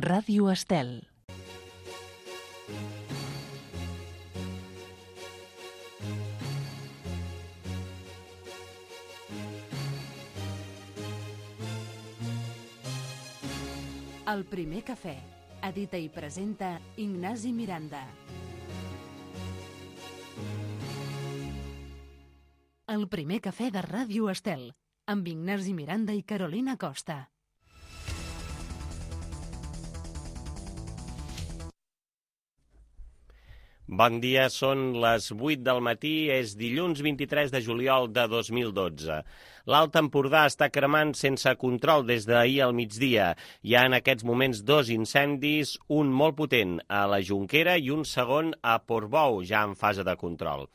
Ràdio Estel. El primer cafè. Edita i presenta Ignasi Miranda. El primer cafè de Ràdio Estel, amb Ignasi Miranda i Carolina Costa. Bon dia, són les 8 del matí, és dilluns 23 de juliol de 2012. L'Alt Empordà està cremant sense control des d'ahir al migdia. Hi ha en aquests moments 2 incendis, un molt potent a la Jonquera i un segon a Portbou, ja en fase de control.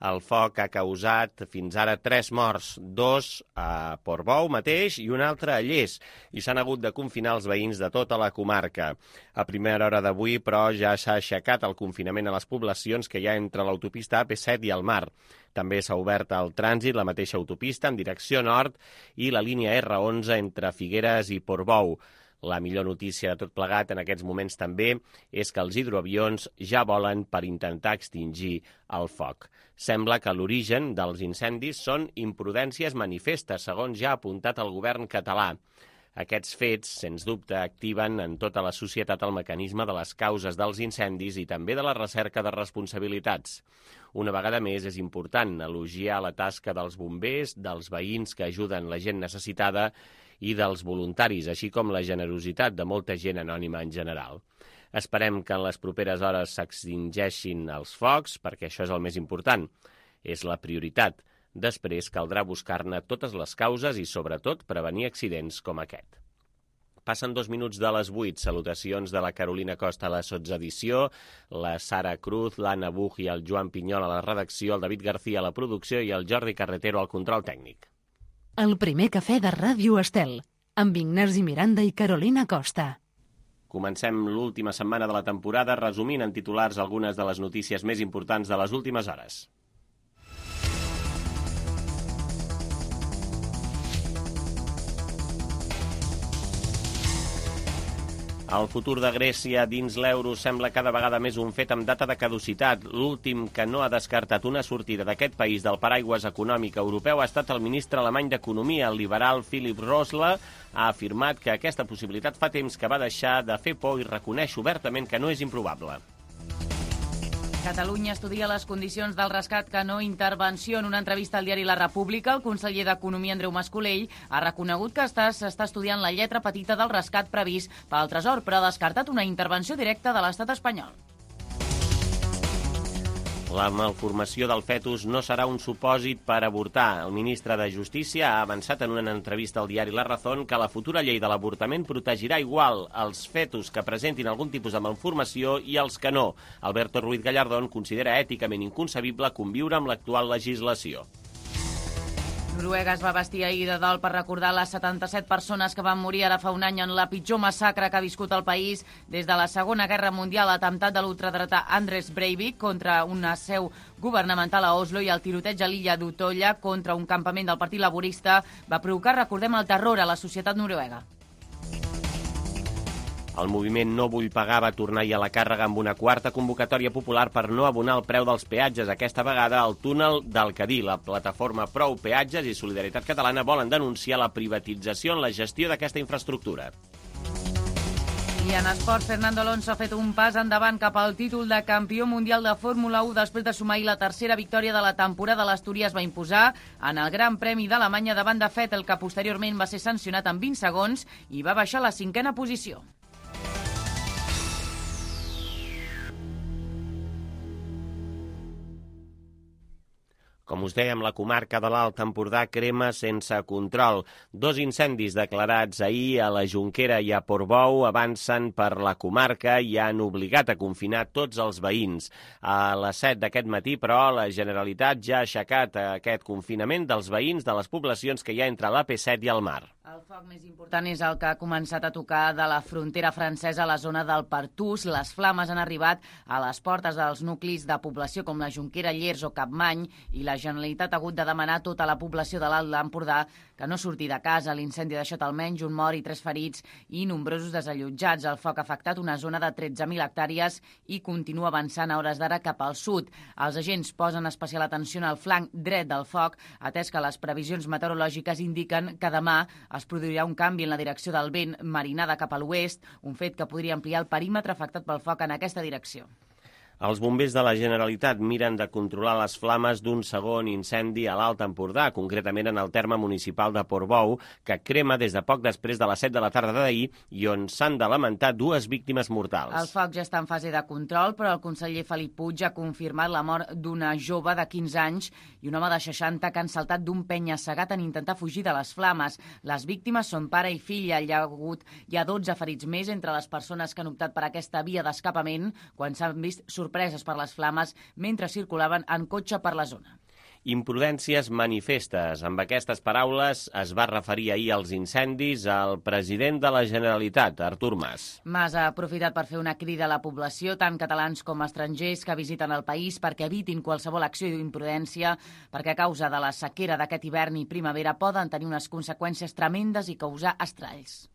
El foc ha causat fins ara 3 morts, 2 a Portbou mateix i un altre a Lles, i s'han hagut de confinar els veïns de tota la comarca. A primera hora d'avui, però, ja s'ha aixecat el confinament a les poblacions que hi ha entre l'autopista AP7 i el Mar. També s'ha obert el trànsit, la mateixa autopista, en direcció nord, i la línia R11 entre Figueres i Portbou. La millor notícia de tot plegat en aquests moments també és que els hidroavions ja volen per intentar extingir el foc. Sembla que l'origen dels incendis són imprudències manifestes, segons ja ha apuntat el govern català. Aquests fets, sens dubte, activen en tota la societat el mecanisme de les causes dels incendis i també de la recerca de responsabilitats. Una vegada més, és important elogiar la tasca dels bombers, dels veïns que ajuden la gent necessitada i dels voluntaris, així com la generositat de molta gent anònima en general. Esperem que en les properes hores s'extingeixin els focs, perquè això és el més important. És la prioritat. Després caldrà buscar-ne totes les causes i, sobretot, prevenir accidents com aquest. Passen 2 minuts de les 8. Salutacions de la Carolina Costa a la sotsedició, la Sara Cruz, l'Anna Buch i el Joan Pinyol a la redacció, el David García a la producció i el Jordi Carretero al control tècnic. El primer cafè de Ràdio Estel, amb Ignasi Miranda i Carolina Costa. Comencem l'última setmana de la temporada resumint en titulars algunes de les notícies més importants de les últimes hores. El futur de Grècia dins l'euro sembla cada vegada més un fet amb data de caducitat. L'últim que no ha descartat una sortida d'aquest país del paraigües econòmic europeu ha estat el ministre alemany d'Economia, el liberal Philipp Rösler. Ha afirmat que aquesta possibilitat fa temps que va deixar de fer por i reconeix obertament que no és improbable. Catalunya estudia les condicions del rescat que no intervenció. En una entrevista al diari La República, el conseller d'Economia, Andreu Mas-Colell, ha reconegut que s'està estudiant la lletra petita del rescat previst pel Tresor, però ha descartat una intervenció directa de l'estat espanyol. La malformació del fetus no serà un supòsit per avortar. El ministre de Justícia ha avançat en una entrevista al diari La Razón que la futura llei de l'avortament protegirà igual els fetus que presentin algun tipus de malformació i els que no. Alberto Ruiz Gallardón considera èticament inconcebible conviure amb l'actual legislació. Noruega es va vestir ahir de dol per recordar les 77 persones que van morir ara fa un any en la pitjor massacre que ha viscut el país des de la Segona Guerra Mundial, l'atemptat de l'ultradretà Anders Breivik contra una seu governamental a Oslo i el tiroteig a l'illa d'Utoya contra un campament del Partit Laborista va provocar, recordem, el terror a la societat noruega. El moviment No Vull Pagar va tornar-hi a la càrrega amb una quarta convocatòria popular per no abonar el preu dels peatges. Aquesta vegada el túnel del Cadí. La plataforma Prou Peatges i Solidaritat Catalana volen denunciar la privatització en la gestió d'aquesta infraestructura. I en esport, Fernando Alonso ha fet un pas endavant cap al títol de campió mundial de Fórmula 1 després de sumar la tercera victòria de la temporada. L'Astúries va imposar en el Gran Premi d'Alemanya davant de Vettel, que posteriorment va ser sancionat en 20 segons i va baixar a la 5a posició. Com us dèiem, la comarca de l'Alt Empordà crema sense control. 2 incendis declarats ahir a la Jonquera i a Portbou avancen per la comarca i han obligat a confinar tots els veïns. A les 7 d'aquest matí, però, la Generalitat ja ha aixecat aquest confinament dels veïns de les poblacions que hi ha entre l'AP7 i el Mar. El foc més important és el que ha començat a tocar de la frontera francesa a la zona del Pertús. Les flames han arribat a les portes dels nuclis de població com la Jonquera, Llers o Capmany i la Generalitat ha hagut de demanar a tota la població de l'Alt Empordà que no surti de casa. L'incendi ha deixat almenys un mort i 3 ferits i nombrosos desallotjats. El foc ha afectat una zona de 13.000 hectàrees i continua avançant a hores d'ara cap al sud. Els agents posen especial atenció al flanc dret del foc, atès que les previsions meteorològiques indiquen que demà es produirà un canvi en la direcció del vent, marinada cap a l'oest, un fet que podria ampliar el perímetre afectat pel foc en aquesta direcció. Els bombers de la Generalitat miren de controlar les flames d'un segon incendi a l'Alt Empordà, concretament en el terme municipal de Portbou, que crema des de poc després de les 7 de la tarda d'ahir i on s'han de lamentar 2 víctimes mortals. El foc ja està en fase de control, però el conseller Felip Puig ha confirmat la mort d'una jove de 15 anys i un home de 60 que han saltat d'un penya-segat en intentar fugir de les flames. Les víctimes són pare i filla. Hi ha 12 ferits més entre les persones que han optat per aquesta via d'escapament quan s'han vist sorpreses per les flames mentre circulaven en cotxe per la zona. Imprudències manifestes. Amb aquestes paraules es va referir ahir als incendis al president de la Generalitat, Artur Mas. Mas ha aprofitat per fer una crida a la població, tant catalans com estrangers que visiten el país, perquè evitin qualsevol acció d'imprudència, perquè a causa de la sequera d'aquest hivern i primavera poden tenir unes conseqüències tremendes i causar estralls.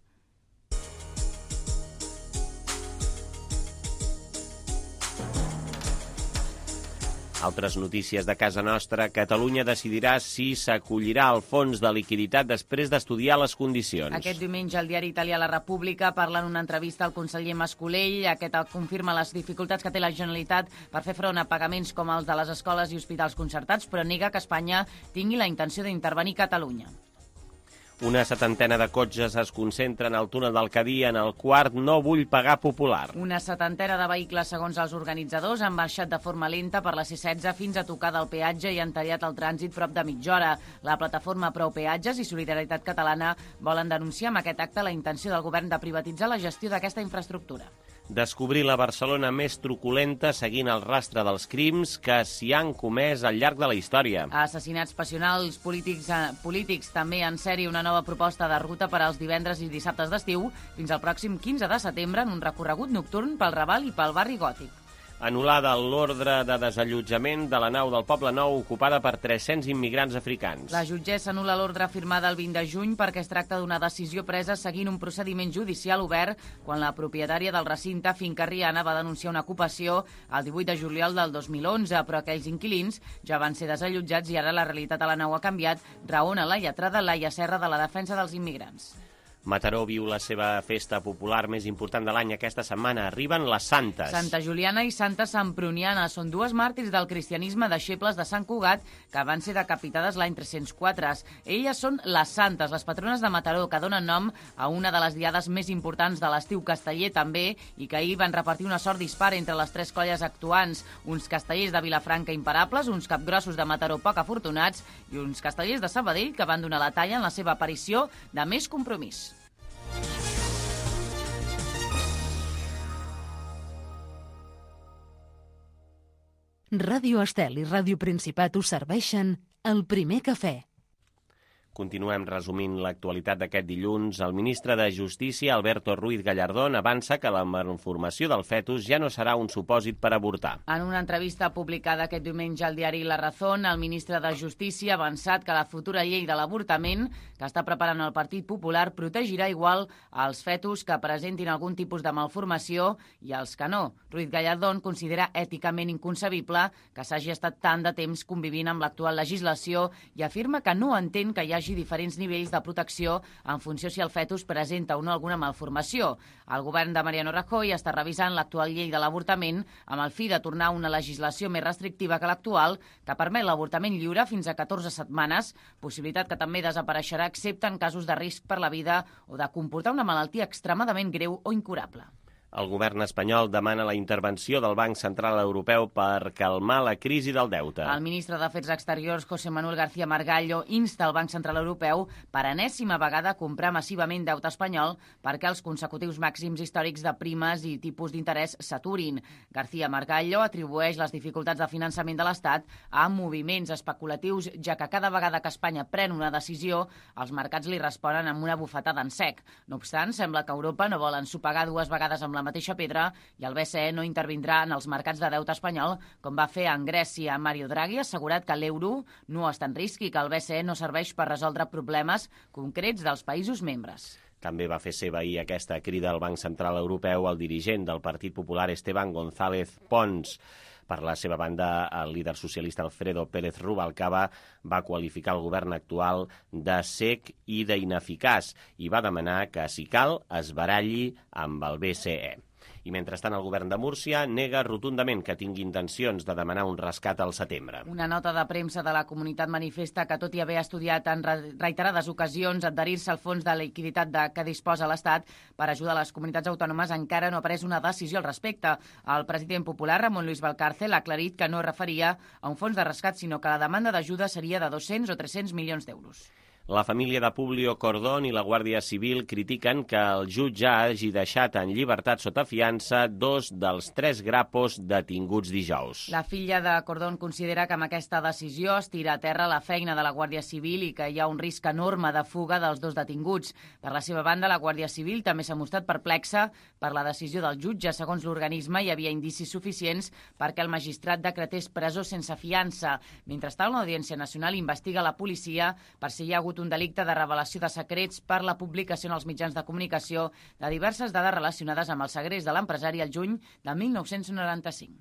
Altres notícies de casa nostra. Catalunya decidirà si s'acollirà al fons de liquiditat després d'estudiar les condicions. Aquest diumenge el diari italià La República parla en una entrevista al conseller Mascolell. Aquest confirma les dificultats que té la Generalitat per fer front a pagaments com els de les escoles i hospitals concertats, però nega que Espanya tingui la intenció d'intervenir Catalunya. Una 70ena de cotxes es concentren al túnel del Cadí en el quart No vull pagar popular. Una 70ena de vehicles, segons els organitzadors, han baixat de forma lenta per la C16 fins a tocar del peatge i han tallat el trànsit prop de mitja hora. La plataforma Prou Peatges i Solidaritat Catalana volen denunciar amb aquest acte la intenció del govern de privatitzar la gestió d'aquesta infraestructura. Descobrir la Barcelona més truculenta seguint el rastre dels crims que s'hi han comès al llarg de la història. Assassinats passionals, polítics també en sèrie, una nova proposta de ruta per als divendres i dissabtes d'estiu fins al pròxim 15 de setembre en un recorregut nocturn pel Raval i pel barri Gòtic. Anul·lada l'ordre de desallotjament de la nau del Poble Nou ocupada per 300 immigrants africans. La jutgessa anul·la l'ordre firmada el 20 de juny perquè es tracta d'una decisió presa seguint un procediment judicial obert quan la propietària del recinte, Finca Riana, va denunciar una ocupació el 18 de juliol del 2011, però aquells inquilins ja van ser desallotjats i ara la realitat a la nau ha canviat, raona la lletrada Laia Serra de la Defensa dels Immigrants. Mataró viu la seva festa popular més important de l'any aquesta setmana. Arriben les santes. Santa Juliana i Santa Semproniana són dues màrtirs del cristianisme deixebles de Sant Cugat que van ser decapitades l'any 304. Elles són les santes, les patrones de Mataró, que donen nom a una de les diades més importants de l'estiu casteller també i que ahir van repartir una sort dispar entre les 3 colles actuants. Uns castellers de Vilafranca imparables, uns capgrossos de Mataró poc afortunats i uns castellers de Sabadell que van donar la talla en la seva aparició de Més Compromís. Ràdio Estel i Ràdio Principat us serveixen el primer cafè. Continuem resumint l'actualitat d'aquest dilluns. El ministre de Justícia, Alberto Ruiz Gallardón, avança que la malformació del fetus ja no serà un supòsit per avortar. En una entrevista publicada aquest diumenge al diari La Razón, el ministre de Justícia ha avançat que la futura llei de l'avortament que està preparant el Partit Popular protegirà igual als fetus que presentin algun tipus de malformació i als que no. Ruiz Gallardón considera èticament inconcebible que s'hagi estat tant de temps convivint amb l'actual legislació i afirma que no entén que hi hagi diferents nivells de protecció en funció si el fetus presenta o no alguna malformació. El govern de Mariano Rajoy està revisant l'actual llei de l'avortament amb el fi de tornar a una legislació més restrictiva que l'actual que permet l'avortament lliure fins a 14 setmanes, possibilitat que també desapareixerà excepte en casos de risc per la vida o de comportar una malaltia extremadament greu o incurable. El govern espanyol demana la intervenció del Banc Central Europeu per calmar la crisi del deute. El ministre d'Afers Exteriors, José Manuel García Margallo, insta el Banc Central Europeu per enèsima vegada a comprar massivament deute espanyol perquè els consecutius màxims històrics de primes i tipus d'interès s'aturin. García Margallo atribueix les dificultats de finançament de l'Estat a moviments especulatius, ja que cada vegada que Espanya pren una decisió, els mercats li responen amb una bufetada en sec. No obstant, sembla que Europa no vol ensopegar dues vegades amb la mateixa pedra i el BCE no intervindrà en els mercats de deute espanyol, com va fer en Grècia. Mario Draghi ha assegurat que l'euro no està en risc i que el BCE no serveix per resoldre problemes concrets dels països membres. També va fer seva ahir aquesta crida al Banc Central Europeu el dirigent del Partit Popular, Esteban González Pons. Per la seva banda, el líder socialista Alfredo Pérez Rubalcaba va qualificar el govern actual de sec i d'ineficaç i va demanar que, si cal, es baralli amb el BCE. I mentrestant el govern de Múrcia nega rotundament que tingui intencions de demanar un rescat al setembre. Una nota de premsa de la comunitat manifesta que, tot i haver estudiat en reiterades ocasions adherir-se al fons de liquiditat que disposa l'Estat per ajudar les comunitats autònomes, encara no ha pres una decisió al respecte. El president popular, Ramon Luis Valcárcel, ha aclarit que no es referia a un fons de rescat, sinó que la demanda d'ajuda seria de 200 o 300 milions d'euros. La família de Publio Cordón i la Guàrdia Civil critiquen que el jutge hagi deixat en llibertat sota fiança 2 dels 3 grapos detinguts dijous. La filla de Cordón considera que amb aquesta decisió es tira a terra la feina de la Guàrdia Civil i que hi ha un risc enorme de fuga dels 2 detinguts. Per la seva banda, la Guàrdia Civil també s'ha mostrat perplexa per la decisió del jutge. Segons l'organisme, hi havia indicis suficients perquè el magistrat decretés presó sense fiança. Mentrestant, l'Audiència Nacional investiga la policia per si hi ha hagut un delicte de revelació de secrets per la publicació en els mitjans de comunicació de diverses dades relacionades amb el segrest de l'empresari al juny de 1995.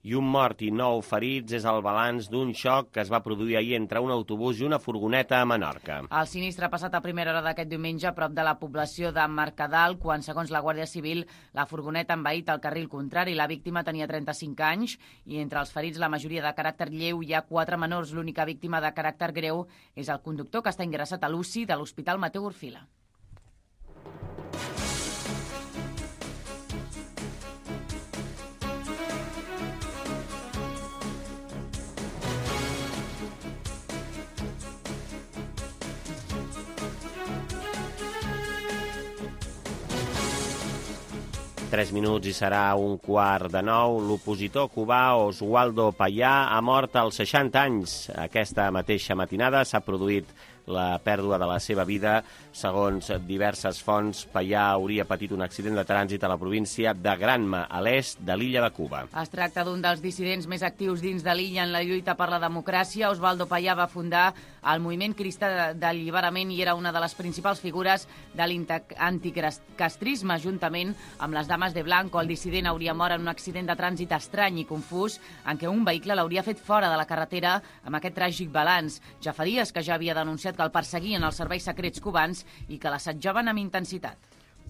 I un mort i 9 ferits és el balanç d'un xoc que es va produir ahir entre un autobús i una furgoneta a Menorca. El sinistre ha passat a primera hora d'aquest diumenge a prop de la població de Mercadal, quan, segons la Guàrdia Civil, la furgoneta ha envaït el carril contrari. La víctima tenia 35 anys i entre els ferits la majoria de caràcter lleu, hi ha 4 menors. L'única víctima de caràcter greu és el conductor, que està ingressat a l'UCI de l'Hospital Mateu Orfila. Tres minuts i serà 8:45. L'opositor cubà Oswaldo Payá ha mort als 60 anys. Aquesta mateixa matinada s'ha produït la pèrdua de la seva vida. Segons diverses fonts, Payá hauria patit un accident de trànsit a la província de Granma, a l'est de l'illa de Cuba. Es tracta d'un dels dissidents més actius dins de l'illa en la lluita per la democràcia. Oswaldo Payá va fundar el moviment cristà d'alliberament i era una de les principals figures de l'anticastrisme, juntament amb les Dames de Blanco. El dissident hauria mort en un accident de trànsit estrany i confús en què un vehicle l'hauria fet fora de la carretera amb aquest tràgic balanç. Ja fa dies que ja havia denunciat que el perseguien els serveis secrets cubans i que l'assetjaven amb intensitat.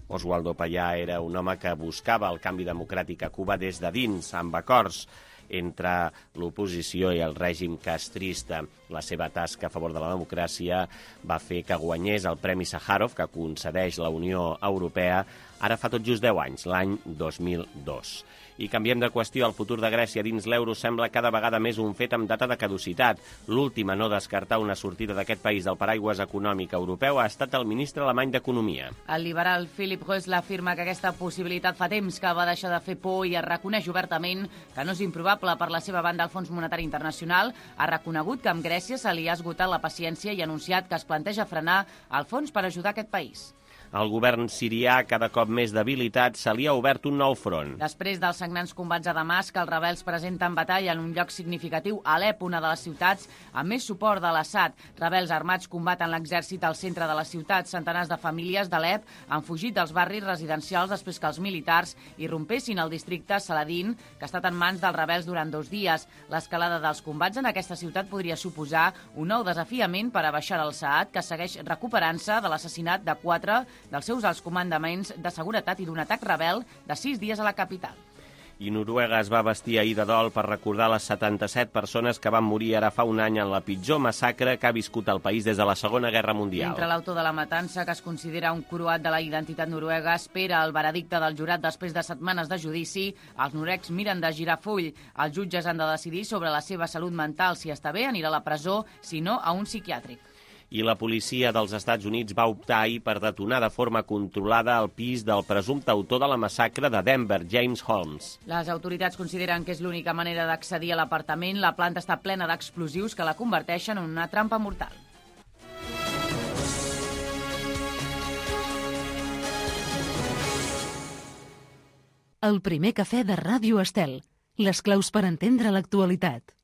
Oswaldo Payá era un home que buscava el canvi democràtic a Cuba des de dins, amb acords entre l'oposició i el règim castrista. La seva tasca a favor de la democràcia va fer que guanyés el Premi Sàjarov, que concedeix la Unió Europea, ara fa tot just 10 anys, l'any 2002. I canviem de qüestió. El futur de Grècia dins l'euro sembla cada vegada més un fet amb data de caducitat. L'últim a no descartar una sortida d'aquest país del paraigües econòmic europeu ha estat el ministre alemany d'Economia. El liberal Philipp Rösler afirma que aquesta possibilitat fa temps que va deixar de fer por i es reconeix obertament que no és improbable. Per la seva banda, el Fons Monetari Internacional ha reconegut que amb Grècia se li ha esgotat la paciència i ha anunciat que es planteja frenar el fons per ajudar aquest país. El govern sirià, cada cop més debilitat, se li ha obert un nou front. Després dels sagnants combats a Damasc, els rebels presenten batalla en un lloc significatiu, Alep, una de les ciutats amb més suport de l'Assad. Rebels armats combaten l'exèrcit al centre de la ciutat. Centenars de famílies d'Alep han fugit dels barris residencials després que els militars irrompessin al districte Saladin, que ha estat en mans dels rebels durant 2 dies. L'escalada dels combats en aquesta ciutat podria suposar un nou desafiament per a Bashar al-Assad, que segueix recuperant-se de l'assassinat de 4 dels seus alts comandaments de seguretat i d'un atac rebel de 6 dies a la capital. I Noruega es va vestir ahir de dol per recordar les 77 persones que van morir ara fa un any en la pitjor massacre que ha viscut el país des de la Segona Guerra Mundial. Mentre l'autor de la matança, que es considera un croat de la identitat noruega, espera el veredicte del jurat després de setmanes de judici, els noruecs miren de girar full. Els jutges han de decidir sobre la seva salut mental. Si està bé, anirà a la presó, si no, a un psiquiàtric. I la policia dels Estats Units va optar ahir per detonar de forma controlada el pis del presumpte autor de la massacre de Denver, James Holmes. Les autoritats consideren que és l'única manera d'accedir a l'apartament. La planta està plena d'explosius que la converteixen en una trampa mortal. El primer cafè de Ràdio Estel. Les claus per entendre l'actualitat.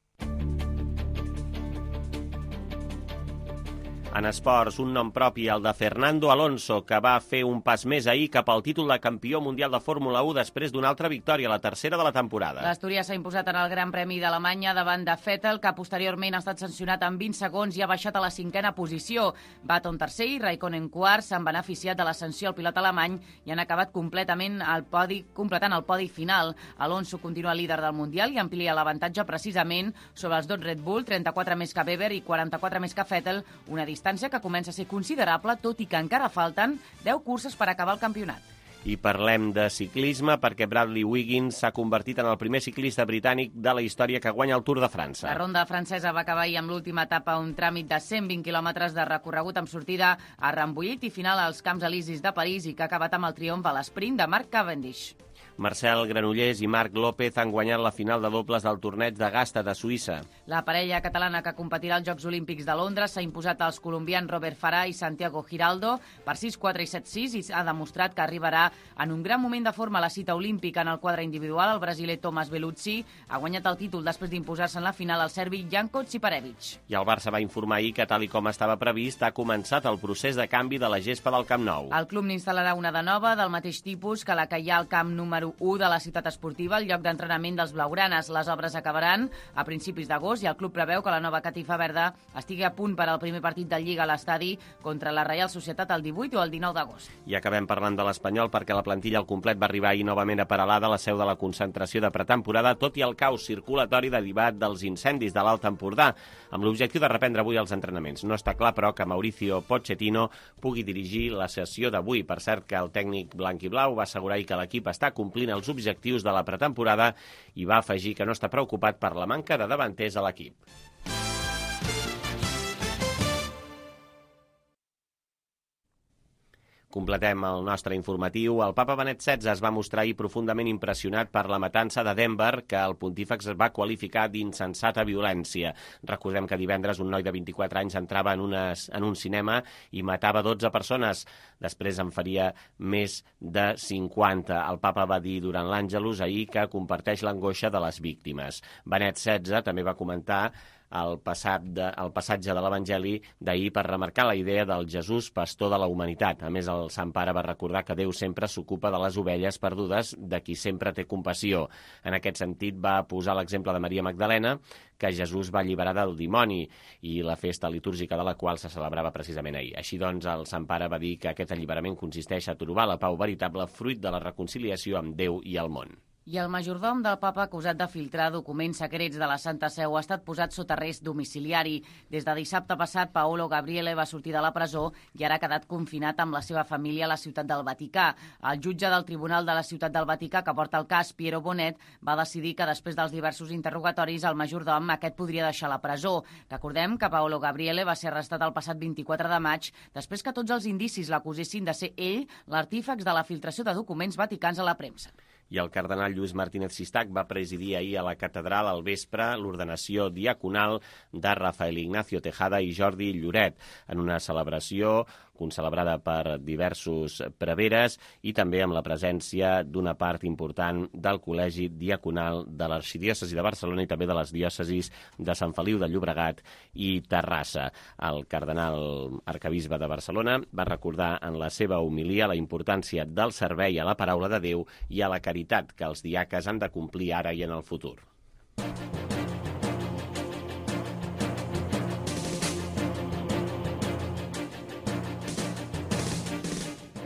En esports, un nom propi, el de Fernando Alonso, que va fer un pas més ahir cap al títol de campió mundial de Fórmula 1 després d'una altra victòria, la tercera de la temporada. L'Astúries s'ha imposat en el Gran Premi d'Alemanya davant de Vettel, que posteriorment ha estat sancionat en 20 segons i ha baixat a la 5a posició. Button tercer i Raikkonen quart s'han beneficiat de la sanció al pilot alemany i han acabat completant el podi final. Alonso continua líder del Mundial i amplia l'avantatge precisament sobre els dos Red Bull, 34 més que Webber i 44 més que Vettel, una distància que comença a ser considerable, tot i que encara falten 10 curses per acabar el campionat. I parlem de ciclisme perquè Bradley Wiggins s'ha convertit en el primer ciclista britànic de la història que guanya el Tour de França. La ronda francesa va acabar ahir amb l'última etapa, un tràmit de 120 quilòmetres de recorregut amb sortida a Rambouillet i final als Camps Elisis de París i que ha acabat amb el triomf a l'esprint de Marc Cavendish. Marcel Granollers i Marc López han guanyat la final de dobles del torneig de Gasta de Suïssa. La parella catalana que competirà als Jocs Olímpics de Londres s'ha imposat als colombians Robert Farah i Santiago Giraldo per 6-4 i 7-6 i ha demostrat que arribarà en un gran moment de forma a la cita olímpica. En el quadre individual, el brasiler Thomas Bellucci ha guanyat el títol després d'imposar-se en la final al serbi Janko Tsiparevic. I el Barça va informar ahir que, tal i com estava previst, ha començat el procés de canvi de la gespa del Camp Nou. El club n'instal·larà una de nova, del mateix tipus que la que hi ha al camp número 1 de la ciutat esportiva, el lloc d'entrenament dels blaugranes. Les obres acabaran a principis d'agost i el club preveu que la nova catifa verda estigui a punt per al primer partit de Lliga a l'estadi contra la Reial Societat el 18 o el 19 d'agost. I acabem parlant de l'Espanyol perquè la plantilla al complet va arribar ahir novament a Peralada, la seu de la concentració de pretemporada, tot i el caos circulatori derivat dels incendis de l'Alt Empordà, amb l'objectiu de reprendre avui els entrenaments. No està clar, però, que Mauricio Pochettino pugui dirigir la sessió d'avui. Per cert, que el tècnic blanc-i-blau va assegurar que l'equip està complint els objectius de la pretemporada i va afegir que no està preocupat per la manca de davanters a l'equip. Completem el nostre informatiu. El papa Benet XVI es va mostrar ahir profundament impressionat per la matança de Denver, que el pontífex va qualificar d'insensata violència. Recordem que divendres un noi de 24 anys entrava en un cinema i matava 12 persones. Després en faria més de 50. El papa va dir durant l'Àngelus ahir que comparteix l'angoixa de les víctimes. Benet XVI també va comentar el passatge de l'Evangeli d'ahir per remarcar la idea del Jesús pastor de la humanitat. A més, el Sant Pare va recordar que Déu sempre s'ocupa de les ovelles perdudes, de qui sempre té compassió. En aquest sentit, va posar l'exemple de Maria Magdalena, que Jesús va alliberar del dimoni i la festa litúrgica de la qual se celebrava precisament ahir. Així doncs, el Sant Pare va dir que aquest alliberament consisteix a trobar la pau veritable fruit de la reconciliació amb Déu i el món. I el majordom del papa acusat de filtrar documents secrets de la Santa Seu ha estat posat sota arrest domiciliari. Des de dissabte passat, Paolo Gabriele va sortir de la presó i ara ha quedat confinat amb la seva família a la ciutat del Vaticà. El jutge del Tribunal de la Ciutat del Vaticà, que porta el cas, Piero Bonet, va decidir que després dels diversos interrogatoris el majordom aquest podria deixar la presó. Recordem que Paolo Gabriele va ser arrestat el passat 24 de maig després que tots els indicis l'acusessin de ser ell l'artífex de la filtració de documents vaticans a la premsa. I el cardenal Lluís Martínez Sistac va presidir ahir a la catedral al vespre l'ordenació diaconal de Rafael Ignacio Tejada i Jordi Lloret, en una celebració concelebrada per diversos preveres i també amb la presència d'una part important del Col·legi Diaconal de l'Arxidiòcesi de Barcelona i també de les diòcesis de Sant Feliu de Llobregat i Terrassa. El cardenal arquebisbe de Barcelona va recordar en la seva homilia la importància del servei a la paraula de Déu i a la caritat que els diaques han de complir ara i en el futur.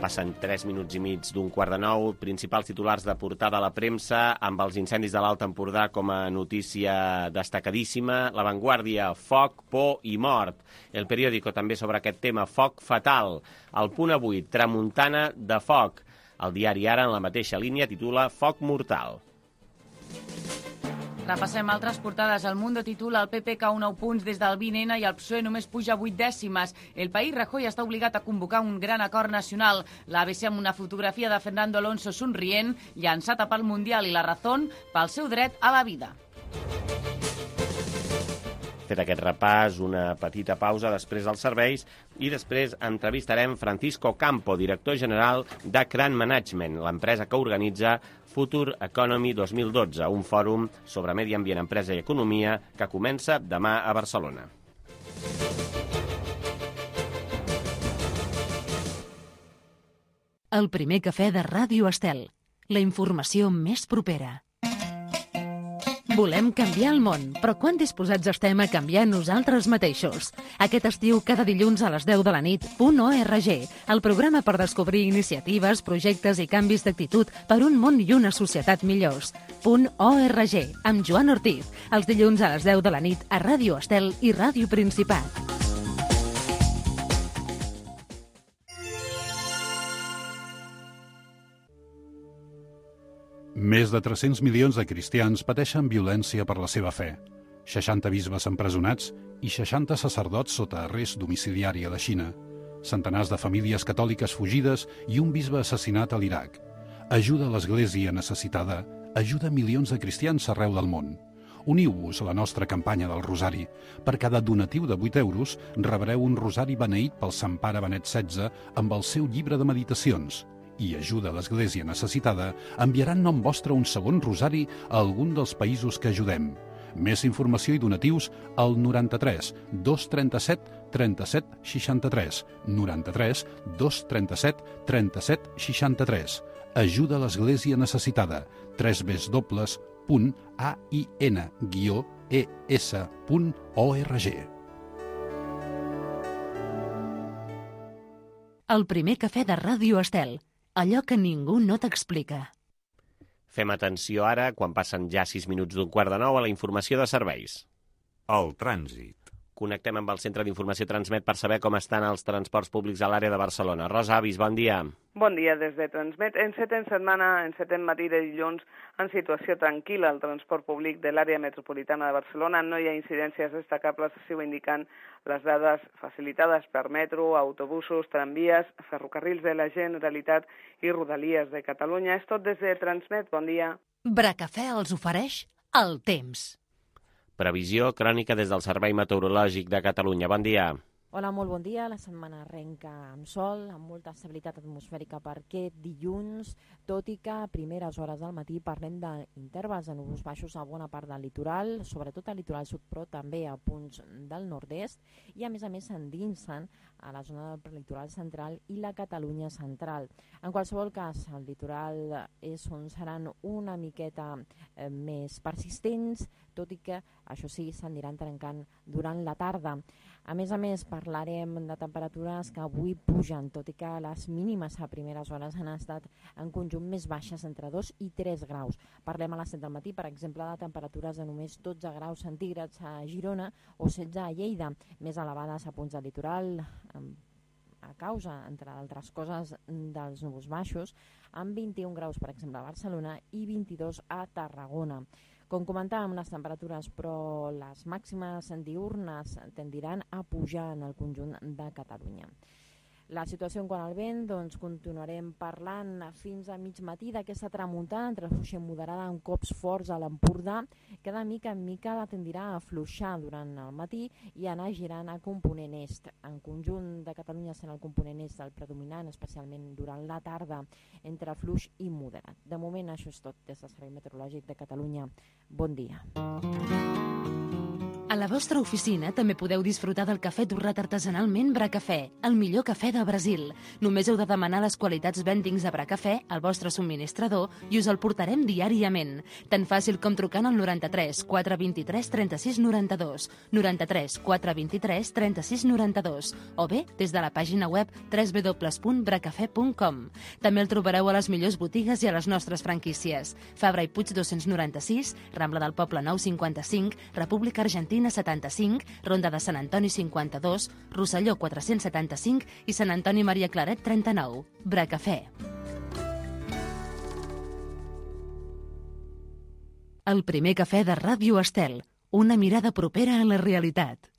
Passen 3 minuts i mig d'15:45. Principals titulars de portada a la premsa, amb els incendis de l'Alt Empordà com a notícia destacadíssima. La Vanguardia, foc, por i mort. El Periódico també sobre aquest tema, foc fatal. El Punt Avui, tramuntana de foc. El diari Ara, en la mateixa línia, titula Foc mortal. Repassem altres portades. El Mundo titula el PP cau 9 punts des del 20N i el PSOE només puja 8 dècimes. El País, Rajoy està obligat a convocar un gran acord nacional. L'ABC amb una fotografia de Fernando Alonso somrient, llançat a pel Mundial, i La Razón pel seu dret a la vida. Fet aquest repàs, una petita pausa després dels serveis i després entrevistarem Francisco Campo, director general de Cran Management, l'empresa que organitza Future Economy 2012, un fòrum sobre medi ambient, empresa i economia que comença demà a Barcelona. El primer cafè de Ràdio Estel. La informació més propera. Volem canviar el món, però quan disposats estem a canviar nosaltres mateixos? Aquest estiu, cada dilluns a les 10 de la nit, .org, el programa per descobrir iniciatives, projectes i canvis d'actitud per un món i una societat millors. .org, amb Joan Ortiz, els dilluns a les 10 de la nit a Ràdio Estel i Ràdio Principat. Més de 300 milions de cristians pateixen violència per la seva fe. 60 bisbes empresonats i 60 sacerdots sota arrest domiciliari a la Xina. Centenars de famílies catòliques fugides i un bisbe assassinat a l'Iraq. Ajuda a l'Església necessitada, ajuda milions de cristians arreu del món. Uniu-vos a la nostra campanya del Rosari. Per cada donatiu de 8 euros rebreu un rosari beneït pel Sant Pare Benet XVI amb el seu llibre de meditacions. I ajuda a l'Església necessitada, enviarà en nom vostre un segon rosari a algun dels països que ajudem. Més informació i donatius al 93 237 37 63. 93 237 37 63. Ajuda a l'Església necessitada. www.ain-es.org. El primer cafè de Ràdio Estel. Allò que ningú no t'explica. Fem atenció ara, quan passen ja 6 minuts d'8:45, a la informació de serveis. El trànsit. Connectem amb el Centre d'Informació Transmet per saber com estan els transports públics a l'àrea de Barcelona. Rosa Avis, bon dia. Bon dia des de Transmet. Encetem matí de dilluns en situació tranquil·la al transport públic de l'àrea metropolitana de Barcelona. No hi ha incidències destacables, així ho indiquen les dades facilitades per metro, autobusos, tramvies, ferrocarrils de la Generalitat i Rodalies de Catalunya. És tot des de Transmet. Bon dia. Bracafè els ofereix el temps. Previsió crònica des del Servei Meteorològic de Catalunya. Bon dia. Hola, molt bon dia. La setmana arrenca amb sol, amb molta estabilitat atmosfèrica per aquest dilluns, tot i que a primeres hores del matí parlem d'intervals de núvols baixos a bona part del litoral, sobretot al litoral sud, però també a punts del nord-est, i a més s'endinsen a la zona del litoral central i la Catalunya central. En qualsevol cas, el litoral és on seran una miqueta més persistents, tot i que, això sí, s'aniran trencant durant la tarda. A més, parlarem de temperatures que avui pugen, tot i que les mínimes a primeres hores han estat en conjunt més baixes, entre 2 i 3 graus. Parlem a les 7 del matí, per exemple, de temperatures de només 12 graus centígrads a Girona o 16 a Lleida, més elevades a punts del litoral, a causa, entre altres coses, dels núvols baixos, amb 21 graus, per exemple, a Barcelona i 22 a Tarragona. Com comentàvem, les temperatures, però les màximes diürnes tendiran a pujar en el conjunt de Catalunya. La situació en quant al vent, doncs continuarem parlant fins a mig matí d'aquesta tramuntana entre fluixa moderada amb cops forts a l'Empordà, que de mica en mica tendirà a afluixar durant el matí i anar girant a component est. En conjunt de Catalunya serà el component est el predominant, especialment durant la tarda, entre fluix i moderat. De moment això és tot des del Servei Meteorològic de Catalunya. Bon dia. A la vostra oficina també podeu disfrutar del cafè torrat artesanalment Bracafè, el millor cafè del Brasil. Només heu de demanar les qualitats vendings de Bracafè al vostre subministrador i us el portarem diàriament. Tan fàcil com trucant al 93 423 36 92, 93 423 36 92, o bé des de la pàgina web www.bracafè.com. També el trobareu a les millors botigues i a les nostres franquícies. Fabra i Puig 296, Rambla del Poble 955, República Argentina 75, Ronda de Sant Antoni 52, Rosselló 475 i Sant Antoni Maria Claret 39. Bracafè. El primer cafè de Ràdio Estel. Una mirada propera a la realitat.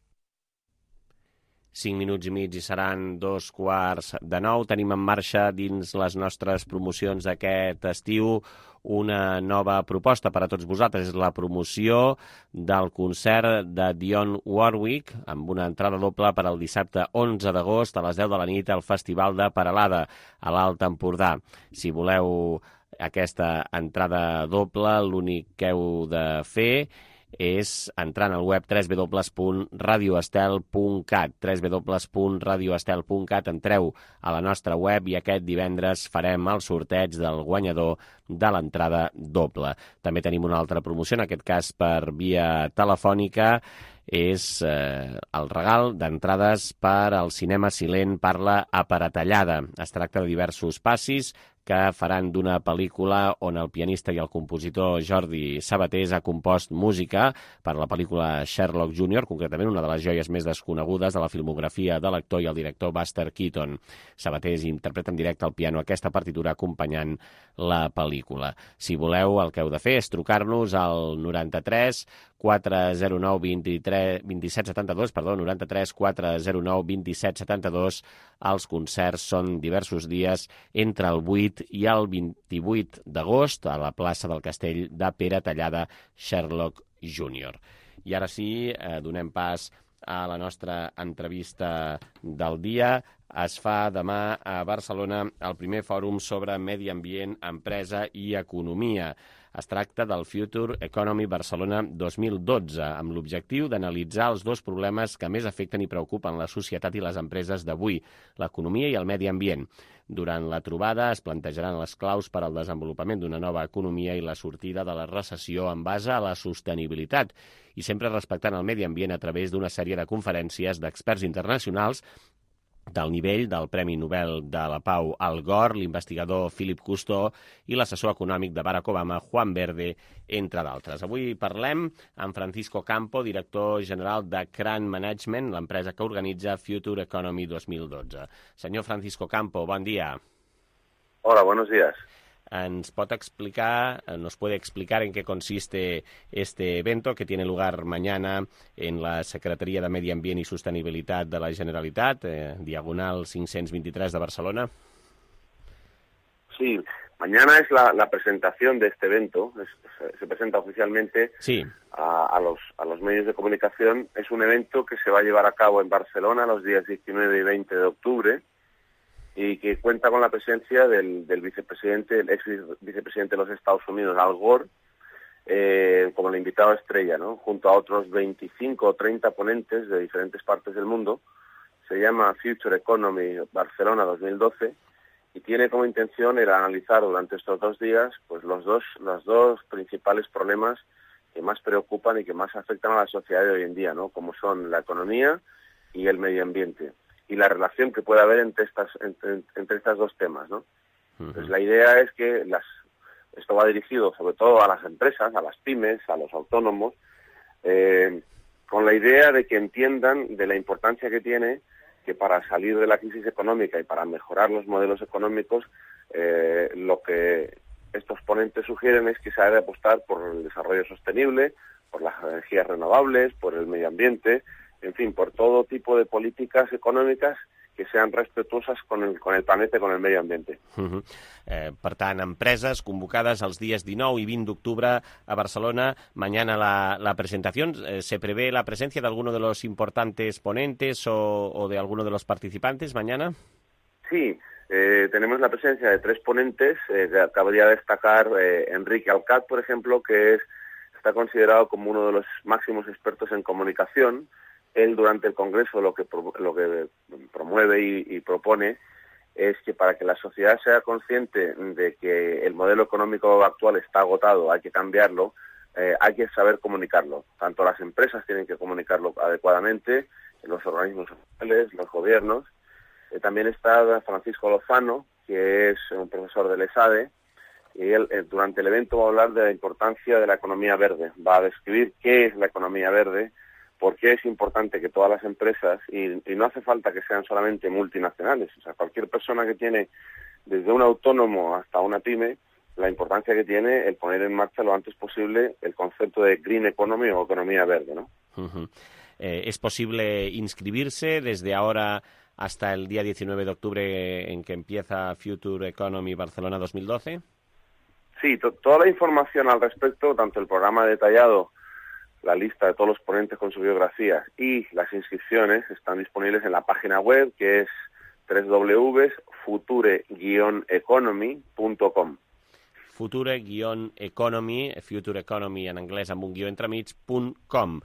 5 minuts i mig i seran 8:45. Tenim en marxa dins les nostres promocions d'aquest estiu una nova proposta per a tots vosaltres. És la promoció del concert de Dionne Warwick amb una entrada doble per al dissabte 11 d'agost a les 10 de la nit al Festival de Peralada a l'Alt Empordà. Si voleu aquesta entrada doble, l'únic que heu de fer és entrant al web www.radioestel.cat, www.radioestel.cat. Entreu a la nostra web i aquest divendres farem el sorteig del guanyador de l'entrada doble. També tenim una altra promoció, en aquest cas per via telefònica, és el regal d'entrades per al cinema Silent parla a Paratallada. Es tracta de diversos passis que faran d'una pel·lícula on el pianista i el compositor Jordi Sabatés ha compost música per la pel·lícula Sherlock Jr., concretament una de les joies més desconegudes de la filmografia de l'actor i el director Buster Keaton. Sabatés interpreta en directe al piano aquesta partitura acompanyant la pel·lícula. Si voleu, el que heu de fer és trucar-nos al 93 409 27 72, 93 409 27 72. Els concerts són diversos dies entre el 8 i el 28 d'agost a la plaça del Castell de Peratallada, Sherlock Jr. I ara sí, donem pas a la nostra entrevista del dia. Es fa demà a Barcelona el primer fòrum sobre medi ambient, empresa i economia. Es tracta del Future Economy Barcelona 2012, amb l'objectiu d'analitzar els dos problemes que més afecten i preocupen la societat i les empreses d'avui, l'economia i el medi ambient. Durant la trobada es plantejaran les claus per al desenvolupament d'una nova economia i la sortida de la recessió en base a la sostenibilitat, i sempre respectant el medi ambient a través d'una sèrie de conferències d'experts internacionals del nivell del Premi Nobel de la Pau Al Gore, l'investigador Philip Cousteau i l'assessor econòmic de Barack Obama, Juan Verde, entre d'altres. Avui parlem amb Francisco Campo, director general de Cran Management, l'empresa que organitza Future Economy 2012. Senyor Francisco Campo, bon dia. Hola, buenos días. ¿Nos puede explicar en qué consiste este evento que tiene lugar mañana en la Secretaría de Medi Ambient y Sostenibilitat de la Generalitat, diagonal 523 de Barcelona? Sí, mañana es la presentación de este evento. Se presenta oficialmente a los medios de comunicación. Es un evento que se va a llevar a cabo en Barcelona los días 19 y 20 de octubre. Y que cuenta con la presencia del vicepresidente, el ex vicepresidente de los Estados Unidos, Al Gore, como el invitado estrella, ¿no? Junto a otros 25 o 30 ponentes de diferentes partes del mundo. Se llama Future Economy Barcelona 2012 y tiene como intención el analizar durante estos 2 días pues los dos principales problemas que más preocupan y que más afectan a la sociedad de hoy en día, ¿no? Como son la economía y el medio ambiente, y la relación que puede haber entre estas dos temas, ¿no? Pues la idea es que esto va dirigido sobre todo a las empresas, a las pymes, a los autónomos, con la idea de que entiendan de la importancia que tiene que para salir de la crisis económica y para mejorar los modelos económicos, lo que estos ponentes sugieren es que se ha de apostar por el desarrollo sostenible, por las energías renovables, por el medio ambiente, en fin, por todo tipo de políticas econòmiques que sean respetuosas con el planeta y con el medio ambiente. Per tant, empreses convocades els dies 19 y 20 d'octubre a Barcelona. Mañana la presentación. ¿Se prevé la presencia de alguno de los importantes ponentes o de alguno de los participantes mañana? Sí, tenemos la presencia de 3 ponentes. Cabría destacar Enrique Alcat, por ejemplo, que está está considerado como uno de los máximos expertos en comunicación. Él durante el Congreso lo que promueve y propone es que para que la sociedad sea consciente de que el modelo económico actual está agotado, hay que cambiarlo, hay que saber comunicarlo. Tanto las empresas tienen que comunicarlo adecuadamente, los organismos sociales, los gobiernos. También está Francisco Lozano, que es un profesor del ESADE, y él durante el evento va a hablar de la importancia de la economía verde. Va a describir qué es la economía verde, por qué es importante que todas las empresas, y no hace falta que sean solamente multinacionales, o sea, cualquier persona que tiene, desde un autónomo hasta una pyme, la importancia que tiene el poner en marcha lo antes posible el concepto de green economy o economía verde, ¿no? ¿Es posible inscribirse desde ahora hasta el día 19 de octubre en que empieza Future Economy Barcelona 2012? Sí, toda la información al respecto, tanto el programa detallado, la lista de todos los ponentes con sus biografías y las inscripciones están disponibles en la página web, que es www.future-economy.com. Future-economy, Future Economy en anglès amb un guió entremig.com.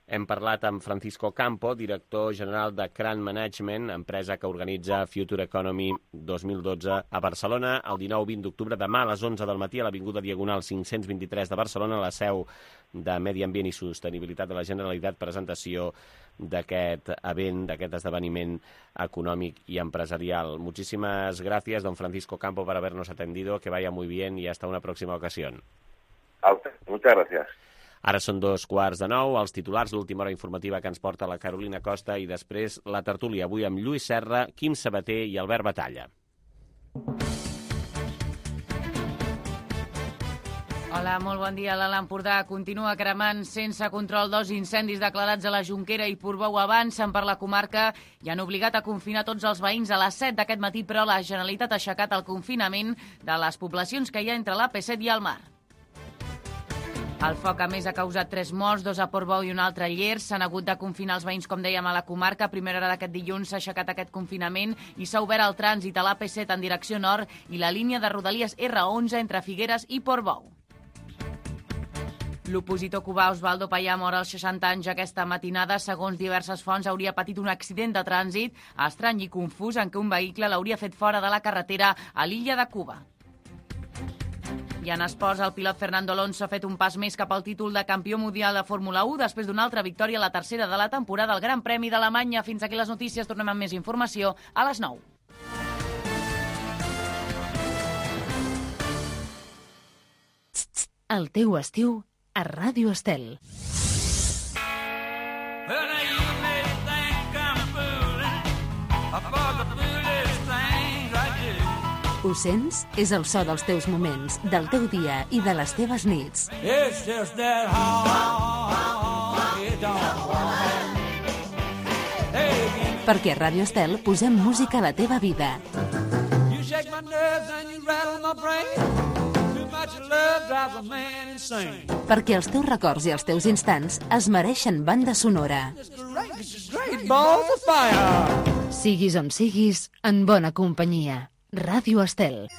Hem parlat amb Francisco Campo, director general de Cran Management, empresa que organitza Future Economy 2012 a Barcelona, el 19-20 d'octubre, demà a les 11 del matí a l'Avinguda Diagonal 523 de Barcelona, la seu de Medi Ambient i Sostenibilitat de la Generalitat, presentació d'aquest event, d'aquest esdeveniment econòmic y empresarial. Muchísimas gracias, don Francisco Campo, por habernos atendido, que vaya muy bien y hasta una próxima ocasión. A usted, muchas gracias. Ara són 2:45, els titulars, l'última hora informativa que ens porta la Carolina Costa i després la tertúlia, avui amb Lluís Serra, Quim Sabater i Albert Batalla. Hola, molt bon dia. L'Alt Empordà continua cremant sense control. 2 incendis declarats a la Jonquera i Portbou avancen per la comarca i han obligat a confinar tots els veïns a les 7 d'aquest matí, però la Generalitat ha aixecat el confinament de les poblacions que hi ha entre l'AP7 i el mar. El foc, a més, ha causat 3 morts, 2 a Portbou i un altre a Llers. S'han hagut de confinar els veïns, com dèiem, a la comarca. A primera hora d'aquest dilluns s'ha aixecat aquest confinament i s'ha obert el trànsit a l'AP7 en direcció nord i la línia de Rodalies R11 entre Figueres i Portbou. L'opositor cubà Osvaldo Payá mor als 60 anys aquesta matinada. Segons diverses fonts, hauria patit un accident de trànsit estrany i confús en què un vehicle l'hauria fet fora de la carretera a l'illa de Cuba. I en esports, el pilot Fernando Alonso ha fet un pas més cap al títol de campió mundial de Fórmula 1 després d'una altra victòria, la tercera de la temporada al Gran Premi d'Alemanya. Fins aquí les notícies, tornem amb més informació a les 9. El teu estiu a Ràdio Estel. Ho sents? És el so dels teus moments, del teu dia i de les teves nits. Perquè a Ràdio Estel posem música a la teva vida. Perquè els teus records i els teus instants es mereixen banda sonora. Siguis on siguis, en bona companyia. Ràdio Estel.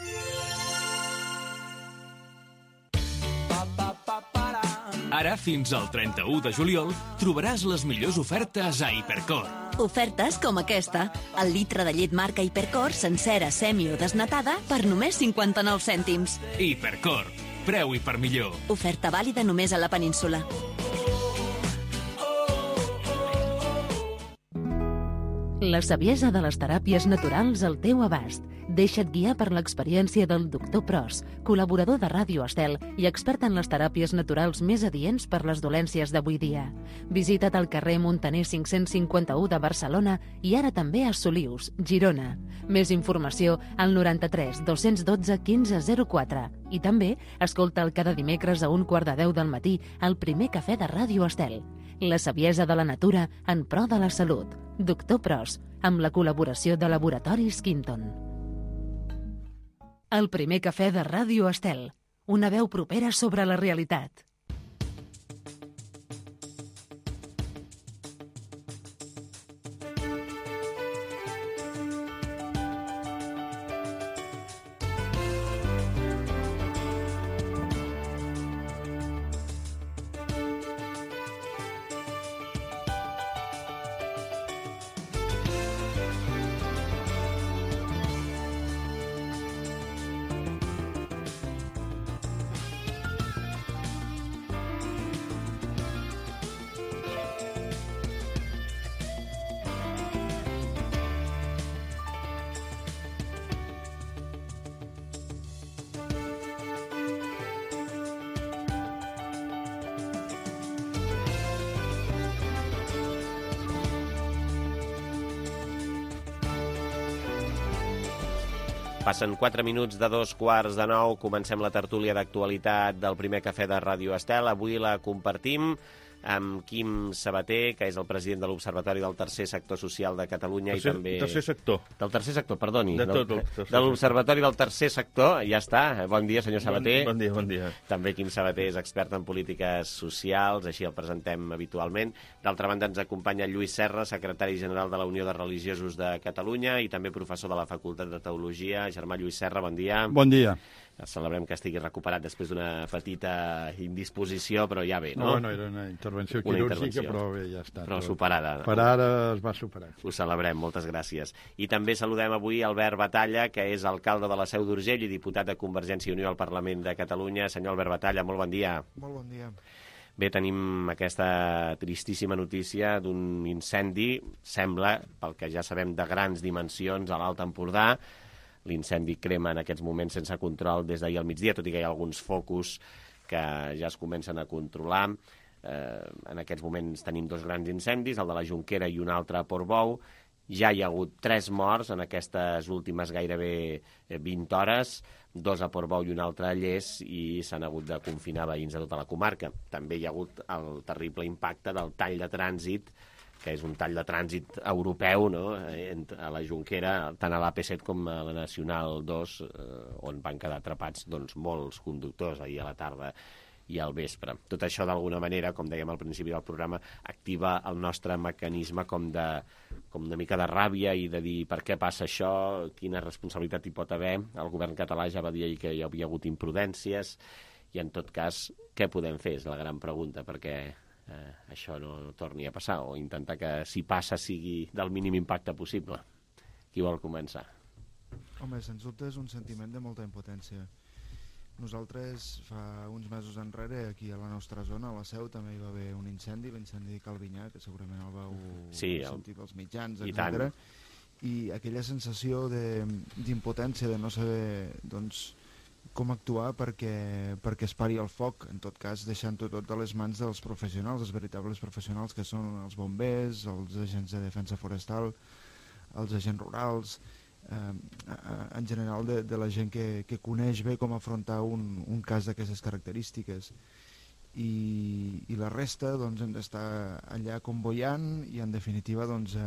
Ara, fins al 31 de juliol, trobaràs les millors ofertes a Hipercor. Ofertes com aquesta. El litre de llet marca Hipercor, sencera, semi o desnatada, per només 59 cèntims. Hipercor. Preu i per millor. Oferta vàlida només a la península. La saviesa de les teràpies naturals al teu abast. Deixa't guiar per l'experiència del Dr. Pros, col·laborador de Ràdio Estel i expert en les teràpies naturals més adients per les dolències d'avui dia. Visita't al carrer Montaner 551 de Barcelona i ara també a Solius, Girona. Més informació al 93 212 1504 i també escolta'l cada dimecres a 9:15 del matí al primer cafè de Ràdio Estel. La saviesa de la natura en pro de la salut. Dr. Pros, amb la col·laboració de Laboratoris Quinton. El primer cafè de Ràdio Estel. Una veu propera sobre la realitat. Passen 4 minuts de 8:45, comencem la tertúlia d'actualitat del primer cafè de Ràdio Estel. Avui la compartim amb Quim Sabater, que és el president de l'Observatori del Tercer Sector Social de Catalunya i també... Tercer sector. Del Tercer Sector, perdoni. De l'Observatori del Tercer Sector, ja està. Bon dia, senyor Sabater. Bon dia. També Quim Sabater és expert en polítiques socials, així el presentem habitualment. D'altra banda ens acompanya Lluís Serra, secretari general de la Unió de Religiosos de Catalunya i també professor de la Facultat de Teologia. Germà Lluís Serra, bon dia. Bon dia. Celebrem que estigui recuperat després d'una petita indisposició, però ja bé, no? No, era una intervenció quirúrgica, però bé, ja està. Però superada. Per ara es va superar. Ho celebrem, moltes gràcies. I també saludem avui Albert Batalla, que és alcalde de la Seu d'Urgell i diputat de Convergència i Unió al Parlament de Catalunya. Senyor Albert Batalla, molt bon dia. Molt bon dia. Bé, tenim aquesta tristíssima notícia d'un incendi, sembla, pel que ja sabem, de grans dimensions a l'Alt Empordà. L'incendi crema en aquests moments sense control des d'ahir al migdia, tot i que hi ha alguns focus que ja es comencen a controlar. En aquests moments tenim 2 grans incendis, el de la Jonquera i un altre a Portbou. Ja hi ha hagut 3 morts en aquestes últimes gairebé 20 hores, 2 a Portbou i un altre a Lles, i s'han hagut de confinar veïns de tota la comarca. També hi ha hagut el terrible impacte del tall de trànsit, que és un tall de trànsit europeu, no?, a la Jonquera, tant a l'AP7 com a la Nacional 2, on van quedar atrapats molts conductors ahir a la tarda i al vespre. Tot això, d'alguna manera, com dèiem al principi del programa, activa el nostre mecanisme com una mica de ràbia i de dir per què passa això, quina responsabilitat hi pot haver. El govern català ja va dir ahir que hi havia hagut imprudències i, en tot cas, què podem fer? És la gran pregunta, perquè això no torni a passar, o intentar que, si passa, sigui del mínim impacte possible. Qui vol començar? Home, sens dubte és un sentiment de molta impotència. Nosaltres, fa uns mesos enrere, aquí a la nostra zona, a la Seu, també hi va haver un incendi, l'incendi de Calvinyà, que segurament el vau sentir pels mitjans, etc. I aquella sensació d'impotència, de no saber, doncs, com actuar perquè es pari el foc, en tot cas deixant-ho tot a les mans dels professionals, els veritables professionals que són els bombers, els agents de defensa forestal, els agents rurals, en general de la gent que coneix bé com afrontar un cas d'aquestes característiques. I la resta doncs, hem d'estar allà convoiant i, en definitiva, doncs,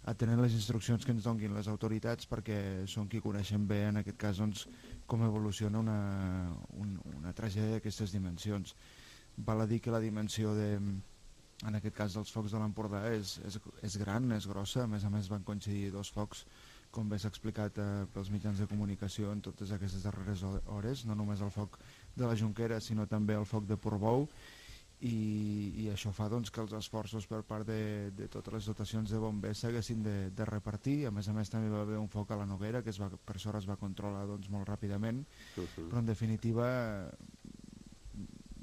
atenent les instruccions que ens donguin les autoritats, perquè són qui coneixen bé, en aquest cas, doncs, com evoluciona una tragèdia d'aquestes dimensions. Val a dir que la dimensió, en aquest cas, dels focs de l'Empordà és gran, és grossa. A més van coincidir 2 focs, com bé s'ha explicat pels mitjans de comunicació en totes aquestes darreres hores, no només el foc de la Jonquera, sinó també el foc de Portbou, i això fa, doncs, que els esforços per part de totes les dotacions de bombers s'haguessin de repartir. A més, també va haver un foc a la Noguera, que per sort es va controlar, doncs, molt ràpidament, però en definitiva,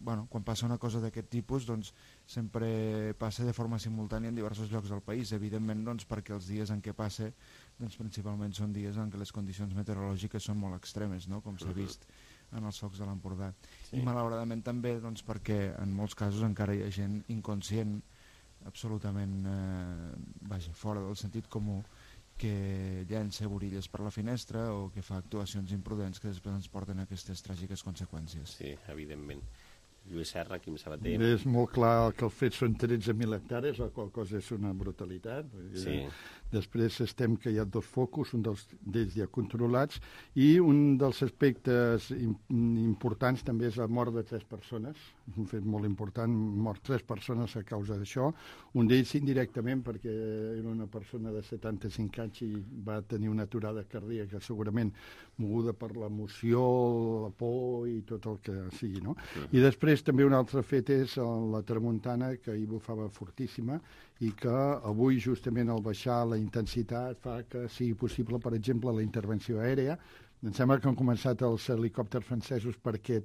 quan passa una cosa d'aquest tipus, doncs, sempre passa de forma simultània en diversos llocs del país, evidentment, doncs, perquè els dies en què passa, doncs, principalment són dies en què les condicions meteorològiques són molt extremes, no?, com s'ha vist en els focs de l'Empordà. I malauradament també, doncs, perquè en molts casos encara hi ha gent inconscient, absolutament fora del sentit comú, que llença borilles per la finestra o que fa actuacions imprudents que després ens porten a aquestes tràgiques conseqüències. Sí, evidentment. Lluís Serra, Quim Sabater. És molt clar que els fets són 13.000 hectàrees, la qual cosa és una brutalitat. Sí. Després estem que hi ha 2 focus, un d'ells ja controlats, i un dels aspectes importants també és la mort de 3 persones, un fet molt important, mort 3 persones a causa d'això, un d'ells indirectament perquè era una persona de 75 anys i va tenir una aturada cardíaca segurament moguda per l'emoció, la por i tot el que sigui, no? I després també un altre fet és la tramuntana, que hi bufava fortíssima i que avui justament al baixar la intensitat fa que sigui possible, per exemple, la intervenció aèria. Em sembla que han començat els helicòpters francesos perquè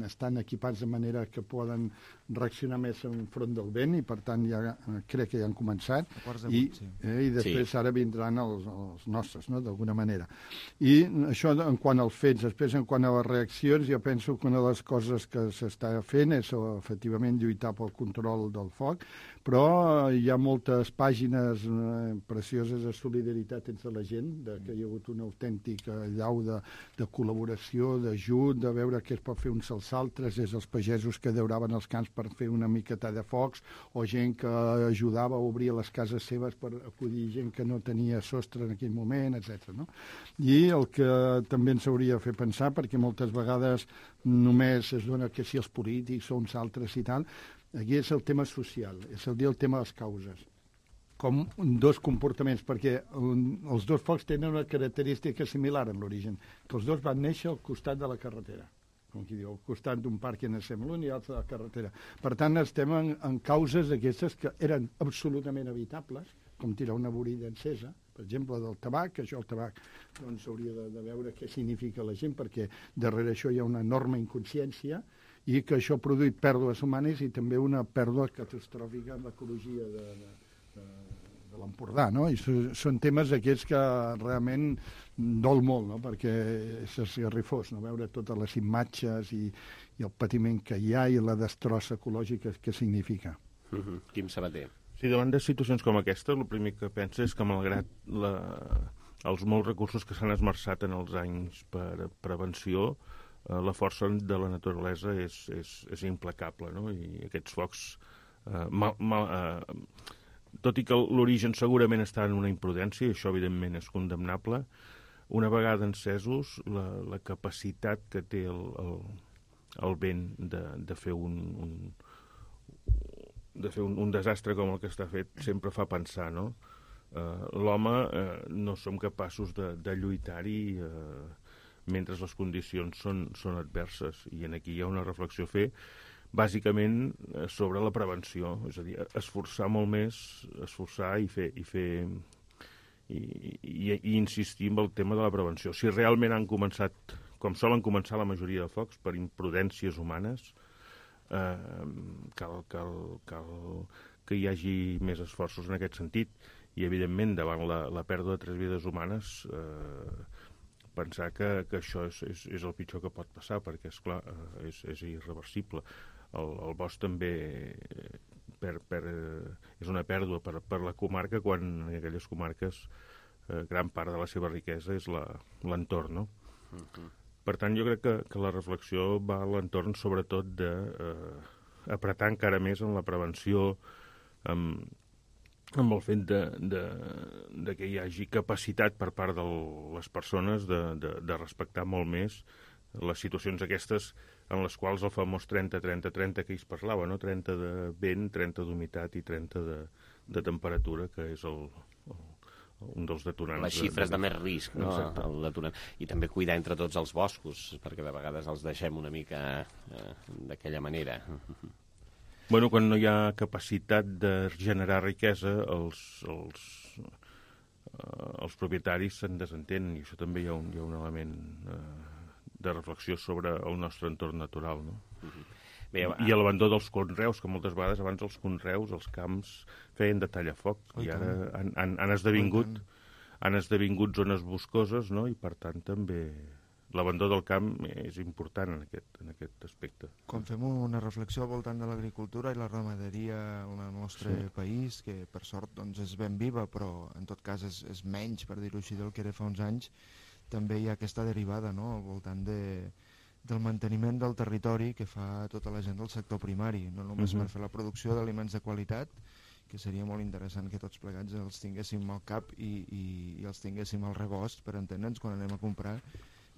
estan equipats de manera que poden reaccionar més enfront del vent i per tant crec que ja han començat i després ara vindran els nostres, no? D'alguna manera. I això en quant als fets. Després, en quant a les reaccions, jo penso que una de les coses que s'està fent és efectivament lluitar pel control del foc, però hi ha moltes pàgines precioses de solidaritat entre la gent, que hi ha hagut una autèntica llau de col·laboració, d'ajut, de veure què es pot fer uns als altres, des dels pagesos que dauraven els camps per fer una miqueta de focs, o gent que ajudava a obrir les cases seves per acollir gent que no tenia sostre en aquell moment, etc. No? I el que també ens hauria de fer pensar, perquè moltes vegades només es dona que si els polítics o uns altres i tal, aquí és el tema social, és el tema de les causes. Com dos comportaments, perquè els dos focs tenen una característica similar en l'origen, que els dos van néixer al costat de la carretera, com qui diu, al costat d'un parc en estem l'un i l'altre de la carretera. Per tant, estem en causes d'aquestes que eren absolutament evitables, com tirar una vorilla encesa, per exemple, del tabac, que això el tabac doncs, hauria de veure què significa la gent, perquè darrere això hi ha una enorme inconsciència i que això ha produït pèrdues humanes i també una pèrdua catastròfica en l'ecologia de l'Empordà, no? I són temes aquests que realment dol molt, no? Perquè és esgarrifós, no? Veure totes les imatges i el patiment que hi ha i la destrossa ecològica que significa. Quim Sabater. Sí, davant de situacions com aquesta, el primer que pensa és que malgrat els molts recursos que s'han esmerçat en els anys per prevenció, la força de la naturalesa és implacable, no? I aquests focs, tot i que l'origen segurament està en una imprudència, i això evidentment és condemnable, una vegada encesos, la capacitat que té el vent de fer un desastre com el que està fet sempre fa pensar, no? L'home no som capaços de lluitar-hi mentre les condicions són adverses, i aquí hi ha una reflexió a fer bàsicament sobre la prevenció, és a dir, esforçar molt més, esforçar i insistir en el tema de la prevenció. Si realment han començat, com solen començar la majoria de focs, per imprudències humanes, cal que hi hagi més esforços en aquest sentit, i evidentment davant la pèrdua de 3 vides humanes pensar que això és el pitjor que pot passar, perquè esclar, és irreversible. El bosc també és una pèrdua per la comarca, quan en aquelles comarques gran part de la seva riquesa és l'entorn, no? Per tant, jo crec que la reflexió va a l'entorn sobretot d'apretar encara més en la prevenció, amb el fet de que hi hagi capacitat per part de les persones de respectar molt més les situacions aquestes en les quals el famós 30-30-30 que ells parlava, no? 30 de vent, 30 d'humitat i 30 de temperatura, que és un dels detonants. Les xifres de més risc, no? El detonant. I també cuidar entre tots els boscos, perquè de vegades els deixem una mica d'aquella manera. Bueno, quan no hi ha capacitat de generar riquesa, els propietaris se'n desentenen, i això també hi ha un element de reflexió sobre el nostre entorn natural, no? Bé, i l'abandó dels conreus, que moltes vegades abans els conreus, els camps, feien de tallafoc, i ara han esdevingut zones boscoses, no? I per tant també l'abandó del camp és important en aquest aspecte. Quan fem una reflexió al voltant de l'agricultura i la ramaderia en el nostre país, que per sort doncs, és ben viva, però en tot cas és menys, per dir-ho així, del que era fa uns anys, també hi ha aquesta derivada, no?, al voltant del manteniment del territori que fa tota la gent del sector primari, no només per fer la producció d'aliments de qualitat, que seria molt interessant que tots plegats els tinguéssim al cap i els tinguéssim al rebost per entendre'ns quan anem a comprar,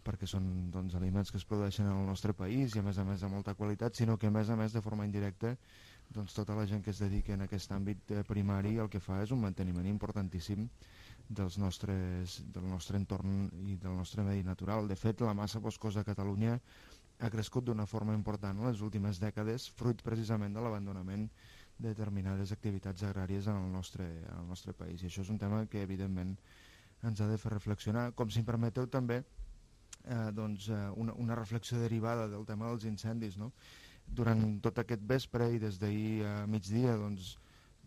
perquè són doncs, aliments que es produeixen en el nostre país i a més de molta qualitat, sinó que a més de forma indirecta doncs, tota la gent que es dedica en aquest àmbit primari el que fa és un manteniment importantíssim del nostre entorn i del nostre medi natural. De fet, la massa boscosa a Catalunya ha crescut d'una forma important en les últimes dècades, fruit precisament de l'abandonament de determinades activitats agràries en el nostre país. I això és un tema que, evidentment, ens ha de fer reflexionar. Com si em permeteu també, una reflexió derivada del tema dels incendis, no? Durant tot aquest vespre i des d'ahir a migdia, doncs,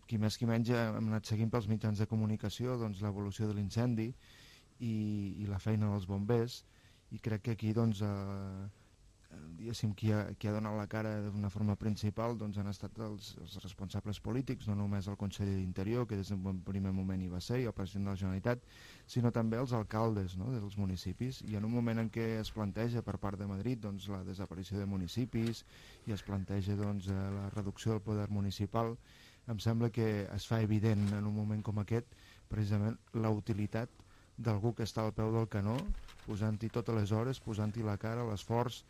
qui més qui menys hem anat seguint pels mitjans de comunicació l'evolució de l'incendi i la feina dels bombers, i crec que aquí diguéssim, qui ha donat la cara d'una forma principal han estat els responsables polítics, no només el conseller d'Interior, que des d'un primer moment hi va ser, i el president de la Generalitat, sinó també els alcaldes, no?, dels municipis. I en un moment en què es planteja per part de Madrid la desaparició de municipis i es planteja la reducció del poder municipal, em sembla que es fa evident en un moment com aquest precisament la utilitat d'algú que està al peu del canó, posant-hi totes les hores, posant-hi la cara, l'esforç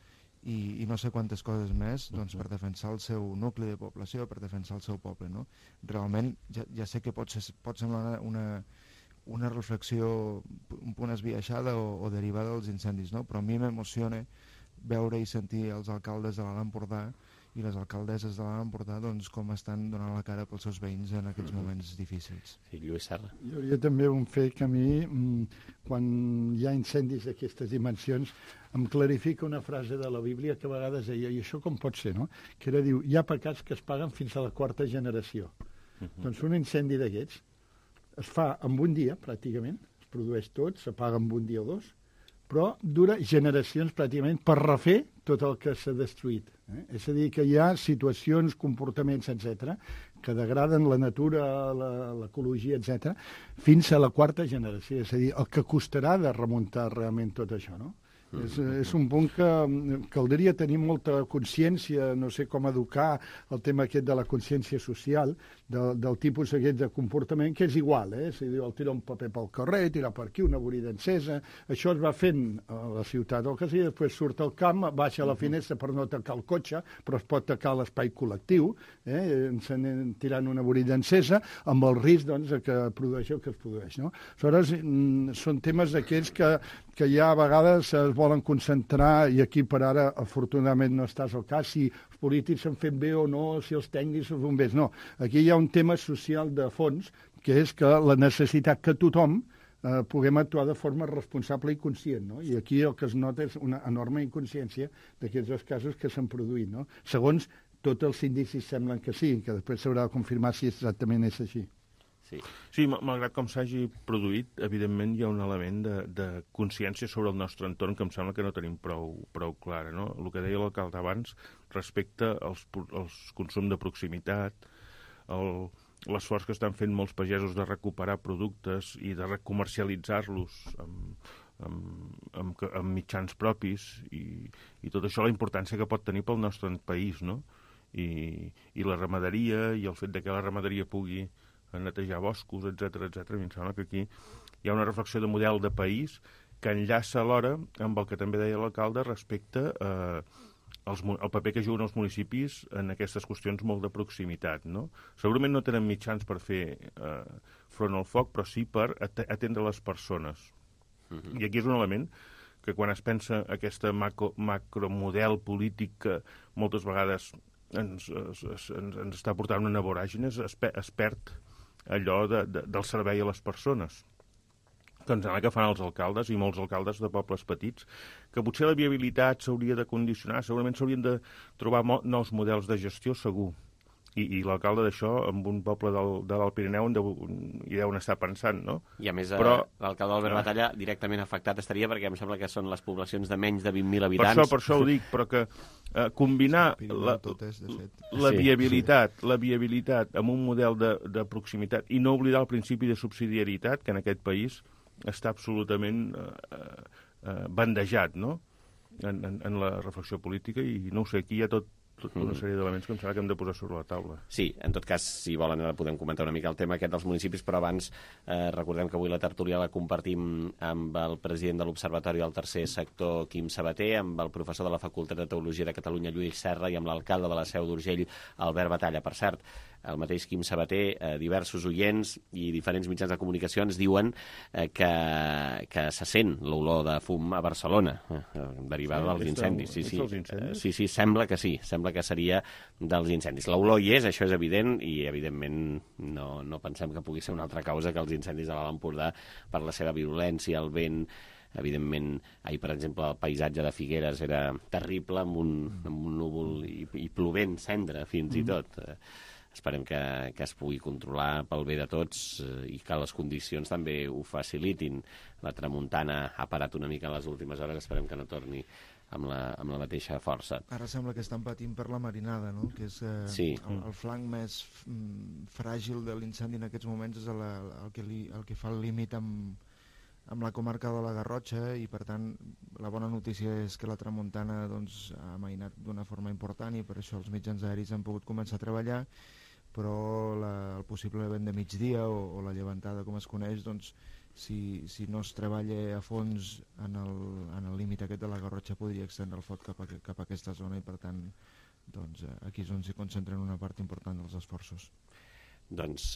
i no sé quantes coses més per defensar el seu nucli de població, per defensar el seu poble, no? Realment, ja sé que pot semblar una reflexió un punt esbiaixada o derivada dels incendis, no? Però a mi m'emociona veure i sentir els alcaldes de l'Alt Empordà i les alcaldesses de l'Alt Empordà com estan donant la cara pels seus veïns en aquests moments difícils. Sí, Lluís Serra. Hi hauria també un fet que a mi, quan hi ha incendis d'aquestes dimensions, em clarifica una frase de la Bíblia que a vegades deia, i això com pot ser, no? Que era, diu, hi ha pecats que es paguen fins a la 4ª generació. Doncs un incendi d'aquests es fa en un dia, pràcticament, es produeix tot, s'apaga en un dia o dos, però dura generacions pràcticament per refer tot el que s'ha destruït. És a dir, que hi ha situacions, comportaments, etc., que degraden la natura, l'ecologia, etc., fins a la 4ª generació. És a dir, el que costarà de remuntar realment tot això, no? És un punt que caldria tenir molta consciència, no sé com educar el tema aquest de la consciència social, del tipus aquest de comportament, que és igual, és a dir, el tirar un paper pel carrer, tirar per aquí, una vorida encesa, això es va fent a la ciutat o que sigui, després surt al camp, baixa a la finestra per no tacar el cotxe, però es pot tacar l'espai col·lectiu, tirant una vorida encesa, amb el risc que produeix el que es produeix, no? Aleshores, són temes d'aquells que ja a vegades es volen concentrar, i aquí per ara afortunadament no estàs al cas, si els polítics s'han fet bé o no, si els tècnics, els bombers, no. Aquí hi ha un tema social de fons, que és que la necessitat que tothom puguem actuar de forma responsable i conscient, no? I aquí el que es nota és una enorme inconsciència d'aquests dos casos que s'han produït, no? Segons tots els indicis semblen que sí, que després s'haurà de confirmar si exactament és així. Sí, malgrat com s'hagi produït, evidentment hi ha un element de consciència sobre el nostre entorn que em sembla que no tenim prou clara, no? El que deia l'alcalde abans respecte als consum de proximitat, l'esforç que estan fent molts pagesos de recuperar productes i de recomercialitzar-los amb mitjans propis i tot això, la importància que pot tenir pel nostre país, no? I la ramaderia i el fet que la ramaderia pugui netejar boscos, etc. A mi em sembla que aquí hi ha una reflexió de model de país que enllaça alhora amb el que també deia l'alcalde respecte al paper que juguen els municipis en aquestes qüestions molt de proximitat, no? Segurament no tenen mitjans per fer front al foc, però sí per atendre les persones. I aquí és un element que quan es pensa aquest macromodel polític que moltes vegades ens està portant una voràgine, es perd allò del servei a les persones. Que ens sembla que fan els alcaldes i molts alcaldes de pobles petits, que potser la viabilitat s'hauria de condicionar, segurament s'haurien de trobar nous models de gestió, segur. I l'alcalde d'això, en un poble de l'Alt Pirineu, hi deuen estar pensant, no? I a més, l'alcalde Albert Batalla directament afectat estaria, perquè em sembla que són les poblacions de menys de 20.000 habitants. Per això ho dic, però que combinar la viabilitat amb un model de proximitat i no oblidar el principi de subsidiarietat, que en aquest país està absolutament bandejat, no?, en la reflexió política, i no ho sé, aquí hi ha tota una sèrie d'elements que em sembla que hem de posar sobre la taula. Sí, en tot cas, si volen, podem comentar una mica el tema aquest dels municipis, però abans recordem que avui la tertúlia la compartim amb el president de l'Observatori del Tercer Sector, Quim Sabater, amb el professor de la Facultat de Teologia de Catalunya, Lluís Serra, i amb l'alcalde de la Seu d'Urgell, Albert Batalla. Per cert, el mateix Quim Sabater, diversos oients i diferents mitjans de comunicació ens diuen que se sent l'olor de fum a Barcelona, derivada dels incendis. Sí, sembla que sí, sembla que seria dels incendis. L'olor hi és, això és evident, i evidentment no pensem que pugui ser una altra causa que els incendis de l'Alt Empordà per la seva virulència, el vent evidentment, ahir, per exemple, el paisatge de Figueres era terrible, amb un núvol i plovent, cendra, fins i tot. Esperem que es pugui controlar pel bé de tots i que les condicions també ho facilitin. La tramuntana ha parat una mica en les últimes hores, esperem que no torni amb la mateixa força. Ara sembla que estan patint per la marinada, no? Que és el flanc més fràgil de l'incendi en aquests moments, és el que fa el límit amb la comarca de la Garrotxa, i per tant la bona notícia és que la tramuntana ha amainat d'una forma important i per això els mitjans aeris han pogut començar a treballar, però el possible vent de migdia o la llevantada, com es coneix, si no es treballa a fons en el límit aquest de la Garrotxa, podria extendre el foc cap a aquesta zona, i per tant aquí és on s'hi concentren una part important dels esforços. Doncs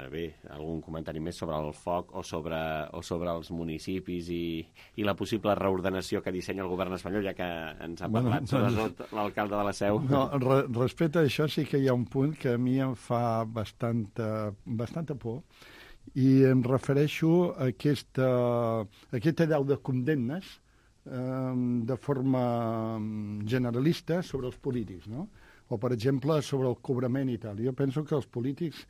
bé, algun comentari més sobre el foc o sobre els municipis i la possible reordenació que dissenya el govern espanyol, ja que ens ha parlat sobretot l'alcalde de la Seu? No, respecte a això sí que hi ha un punt que a mi em fa bastanta por, i em refereixo a aquest allau de condemnes de forma generalista sobre els polítics, no? O, per exemple, sobre el cobrament i tal. Jo penso que els polítics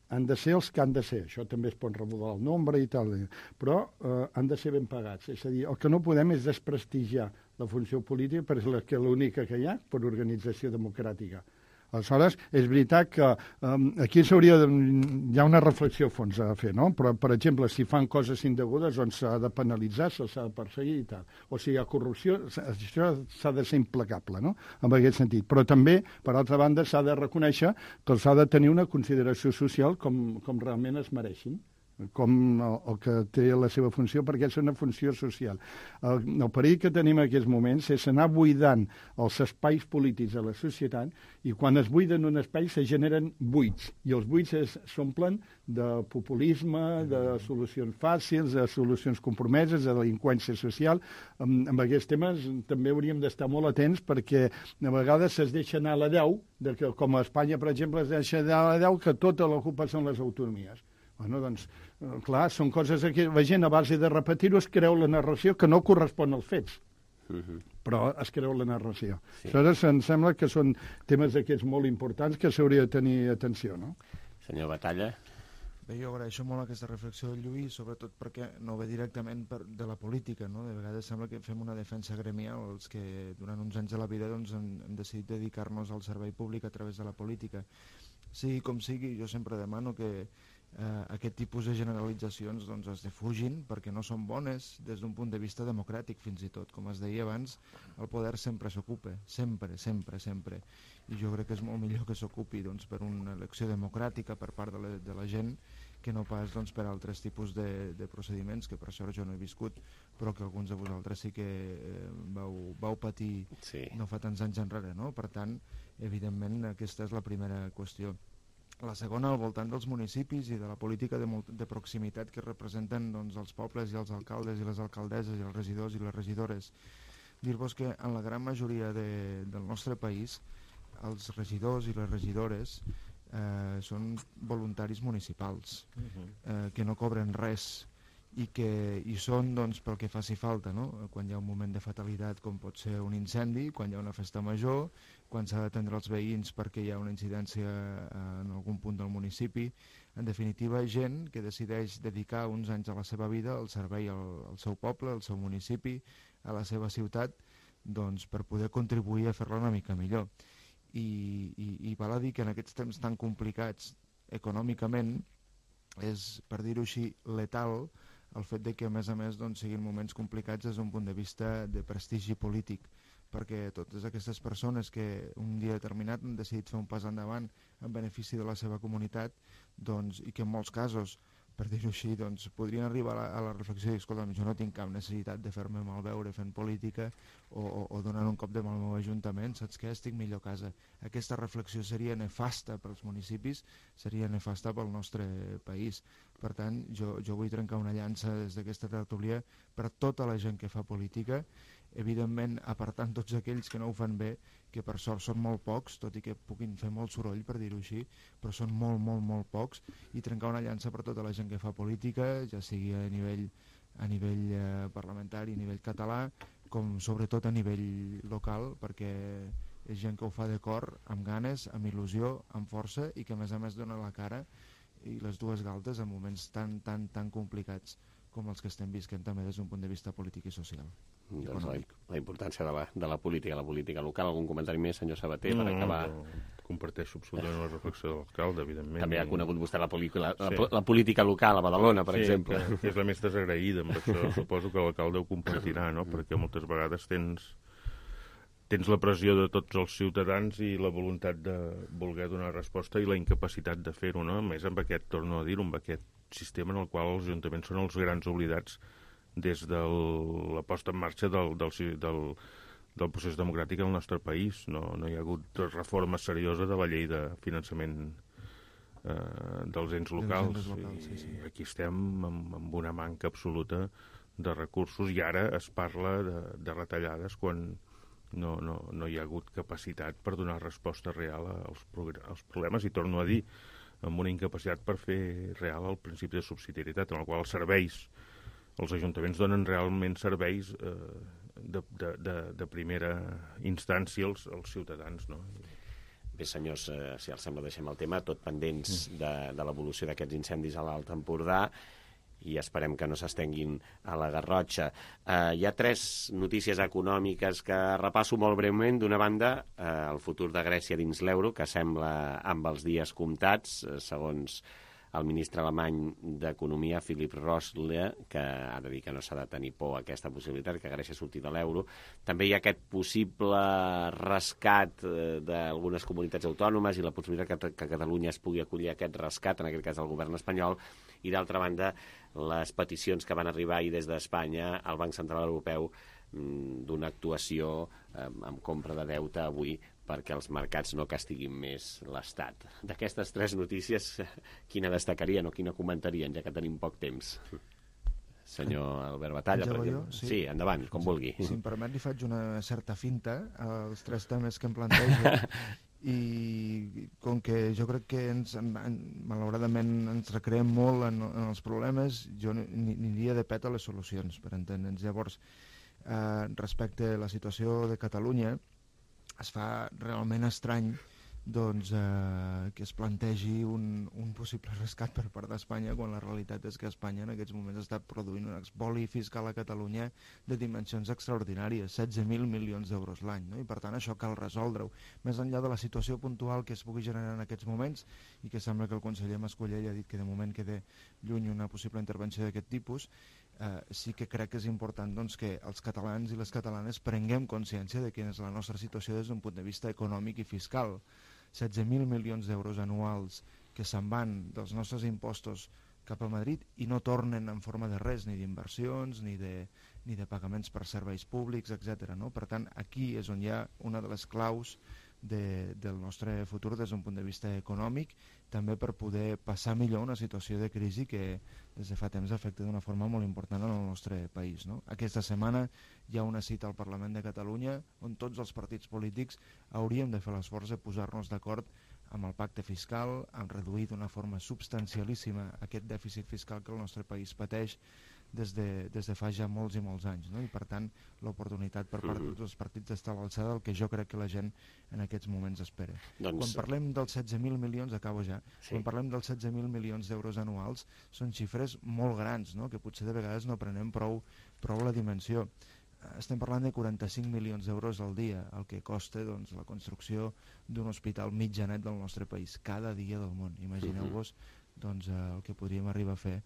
han de ser els que han de ser. Això també es pot remodelar el nombre i tal, però han de ser ben pagats. És a dir, el que no podem és desprestigiar la funció política, perquè l'única que hi ha per organització democràtica. Aleshores, és veritat que aquí hi ha una reflexió a fons a fer, no? Però, per exemple, si fan coses indegudes, doncs s'ha de penalitzar, s'ha de perseguir i tal. O si hi ha corrupció, això s'ha de ser implacable, no? En aquest sentit. Però també, per altra banda, s'ha de reconèixer que s'ha de tenir una consideració social com realment es mereixin, com el que té la seva funció, perquè és una funció social. El perill que tenim en aquests moments és anar buidant els espais polítics de la societat, i quan es buiden un espai se generen buits, i els buits s'omplen de populisme, de solucions fàcils, de solucions compromeses, de delinqüència social. Amb aquests temes també hauríem d'estar molt atents, perquè a vegades es deixa anar a la deu, com a Espanya, per exemple, es deixa anar a la deu que tota l'ocupa són les autonomies. Bueno, doncs, clar, són coses que la gent, a base de repetir-ho, es creu la narració que no correspon als fets, però es creu la narració. Sí. Aleshores, em sembla que són temes d'aquests molt importants que s'hauria de tenir atenció, no? Senyor Batalla. Bé, jo agraeixo molt aquesta reflexió del Lluís, sobretot perquè no ve directament de la política, no? De vegades sembla que fem una defensa gremial, els que durant uns anys de la vida hem decidit dedicar-nos al servei públic a través de la política. Sigui com sigui, jo sempre demano que aquest tipus de generalitzacions es defugin, perquè no són bones des d'un punt de vista democràtic, fins i tot. Com es deia abans, el poder sempre s'ocupa, sempre. I jo crec que és molt millor que s'ocupi per una elecció democràtica per part de la gent, que no pas per altres tipus de procediments, que per sort jo no he viscut, però que alguns de vosaltres sí que vau patir no fa tants anys enrere, no? Per tant, evidentment, aquesta és la primera qüestió. La segona, al voltant dels municipis i de la política de proximitat que representen els pobles i els alcaldes i les alcaldesses i els regidors i les regidores. Dir-vos que en la gran majoria del nostre país els regidors i les regidores són voluntaris municipals, que no cobren res i que hi són pel que faci falta, no? Quan hi ha un moment de fatalitat com pot ser un incendi, quan hi ha una festa major, quan s'ha d'atendre els veïns perquè hi ha una incidència en algun punt del municipi. En definitiva, gent que decideix dedicar uns anys a la seva vida al servei al seu poble, al seu municipi, a la seva ciutat, per poder contribuir a fer-la una mica millor. I val a dir que en aquests temps tan complicats econòmicament és, per dir-ho així, letal el fet que a més siguin moments complicats des d'un punt de vista de prestigi polític, perquè totes aquestes persones que un dia determinat han decidit fer un pas endavant en benefici de la seva comunitat, i que en molts casos, per dir-ho així, podrien arribar a la reflexió de dir, escolta, jo no tinc cap necessitat de fer-me malveure fent política o donant un cop de mà al meu ajuntament, saps què? Estic millor a casa. Aquesta reflexió seria nefasta pels municipis, seria nefasta pel nostre país. Per tant, jo vull trencar una llança des d'aquesta tertúlia per tota la gent que fa política, evidentment apartant tots aquells que no ho fan bé, que per sort són molt pocs, tot i que puguin fer molt soroll, per dir-ho així, però són molt pocs, i trencar una llança per tota la gent que fa política, ja sigui a nivell a nivell parlamentari, a nivell català, com sobretot a nivell local, perquè és gent que ho fa de cor, amb ganes, amb il·lusió, amb força, i que a més dona la cara i les dues galtes en moments tan complicats com els que estem visquent també des d'un punt de vista polític i social. Doncs la importància de la política local. Algun comentari més, senyor Sabater, per acabar? Comparteixo absolutament la reflexió de l'alcalde, evidentment. També ha conegut vostè la política local a Badalona, per exemple. Sí, és la més desagraïda, amb això suposo que l'alcalde ho compartirà, no? Perquè moltes vegades tens la pressió de tots els ciutadans i la voluntat de voler donar resposta i la incapacitat de fer-ho, no? A més, amb aquest, torno a dir-ho, amb aquest sistema en el qual els ajuntaments són els grans oblidats des de la posta en marxa del procés democràtic al nostre país. No hi ha hagut reforma seriosa de la llei de finançament dels ens locals. I aquí estem amb una manca absoluta de recursos i ara es parla de retallades quan no hi ha hagut capacitat per donar resposta real als problemes, i torno a dir, amb una incapacitat per fer real el principi de subsidiarietat, en el qual els ajuntaments donen realment serveis de primera instància als ciutadans, no? Bé, senyors, si els sembla, deixem el tema, tot pendents de l'evolució d'aquests incendis a l'Alt Empordà, i esperem que no s'estenguin a la Garrotxa. Hi ha 3 notícies econòmiques que repasso molt breument. D'una banda, el futur de Grècia dins l'euro, que sembla amb els dies comptats, segons el ministre alemany d'Economia, Philip Rösler, que ha de dir que no s'ha de tenir por a aquesta possibilitat, que Grècia surti de l'euro. També hi ha aquest possible rescat d'algunes comunitats autònomes i la possibilitat que Catalunya es pugui acollir a aquest rescat, en aquest cas del govern espanyol, i d'altra banda les peticions que van arribar ahir des d'Espanya al Banc Central Europeu d'una actuació amb compra de deute avui perquè els mercats no castiguin més l'Estat. D'aquestes 3 notícies, quina destacarien o quina comentarien, ja que tenim poc temps? Senyor Albert Batalla, per exemple. Sí, endavant, com vulgui. Si em permet, li faig una certa finta als 3 temes que em planteja, i com que jo crec que malauradament ens recreem molt en els problemes, jo aniria de pet a les solucions, per entendre'ns. Llavors, respecte a la situació de Catalunya, es fa realment estrany que es plantegi un possible rescat per part d'Espanya, quan la realitat és que Espanya en aquests moments està produint un espoli fiscal a Catalunya de dimensions extraordinàries, 16.000 milions d'euros l'any, no? I per tant això cal resoldre-ho. Més enllà de la situació puntual que es pugui generar en aquests moments, i que sembla que el conseller Mascolell ha dit que de moment queda lluny una possible intervenció d'aquest tipus, sí que crec que és important que els catalans i les catalanes prenguem consciència de quina és la nostra situació des d'un punt de vista econòmic i fiscal. 16.000 milions d'euros anuals que se'n van dels nostres impostos cap a Madrid i no tornen en forma de res, ni d'inversions, ni de pagaments per serveis públics, etc. No? Per tant, aquí és on hi ha una de les claus del nostre futur des d'un punt de vista econòmic, també per poder passar millor una situació de crisi que des de fa temps afecta d'una forma molt important en el nostre país. No? Aquesta setmana hi ha una cita al Parlament de Catalunya on tots els partits polítics hauríem de fer l'esforç de posar-nos d'acord amb el pacte fiscal, amb reduir d'una forma substancialíssima aquest dèficit fiscal que el nostre país pateix des de fa ja molts i molts anys, no? I per tant l'oportunitat per part de tots els partits està a l'alçada del que jo crec que la gent en aquests moments espera. Quan parlem dels 16.000 milions, acabo ja, quan parlem dels 16.000 milions d'euros anuals, són xifres molt grans, no? Que potser de vegades no prenem prou la dimensió. Estem parlant de 45 milions d'euros al dia, el que costa la construcció d'un hospital mitjanet del nostre país, cada dia del món. Imagineu-vos el que podríem arribar a fer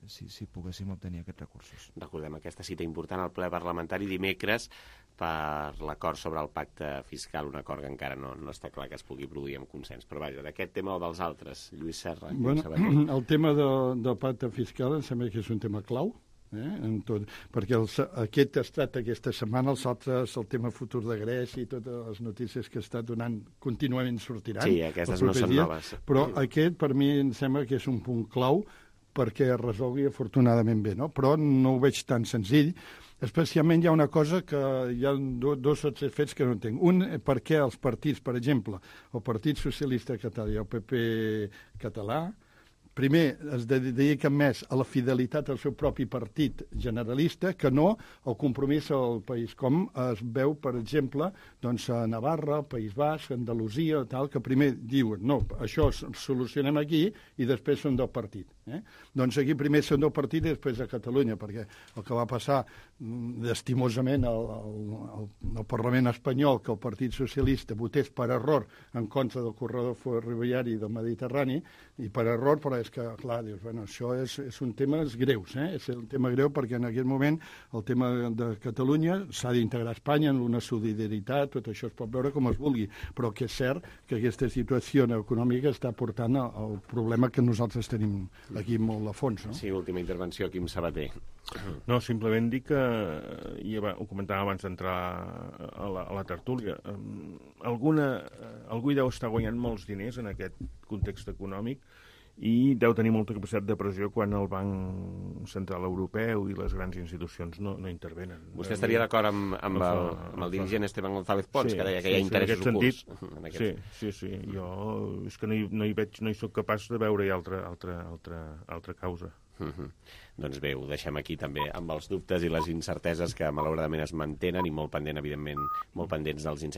si poguéssim obtenir aquests recursos. Recordem aquesta cita important al ple parlamentari dimecres per l'acord sobre el pacte fiscal, un acord que encara no està clar que es pugui produir amb consens. Però vaja, d'aquest tema o dels altres, Lluís Serra. El tema del pacte fiscal em sembla que és un tema clau, perquè aquest ha estat aquesta setmana, els altres, el tema futur de Grècia i totes les notícies que està donant contínuament sortiran. Sí, aquestes no són noves. Però aquest per mi em sembla que és un punt clau perquè es resolgui afortunadament bé, no? Però no ho veig tan senzill. Especialment hi ha una cosa que hi ha dos o tres fets que no entenc. Un, per què els partits, per exemple, el Partit Socialista Català i el PP català, primer es dediquen més a la fidelitat al seu propi partit generalista que no al compromís al país, com es veu, per exemple, doncs, a Navarra, País Basc, Andalusia, tal, que primer diuen, no, això solucionem aquí i després són del partit. Doncs aquí primer són del partit i després a Catalunya, perquè el que va passar estimosament al Parlament espanyol, que el Partit Socialista votés per error en contra del corredor ferroviari del Mediterrani, i per error, però és que, clar, dius, bueno, això és un tema greus, és un tema greu perquè en aquest moment el tema de Catalunya s'ha d'integrar a Espanya en una solidaritat, tot això es pot veure com es vulgui, però que és cert que aquesta situació econòmica està portant al problema que nosaltres tenim aquí molt a fons. No? Sí, última intervenció, Quim Sabater. No, simplement dic que, ho comentàvem abans d'entrar a la tertúlia, algú hi deu estar guanyant molts diners en aquest context econòmic i deu tenir molta capacitat de pressió quan el Banc Central Europeu i les grans institucions no intervenen. Vostè estaria d'acord amb el dirigent Esteban González Pons, que deia que hi ha interessos ocults? Sí. Jo és que no hi soc capaç de veure-hi altra causa. Doncs bé, ho deixem aquí també amb els dubtes i les incerteses que malauradament es mantenen i molt pendents dels incendis.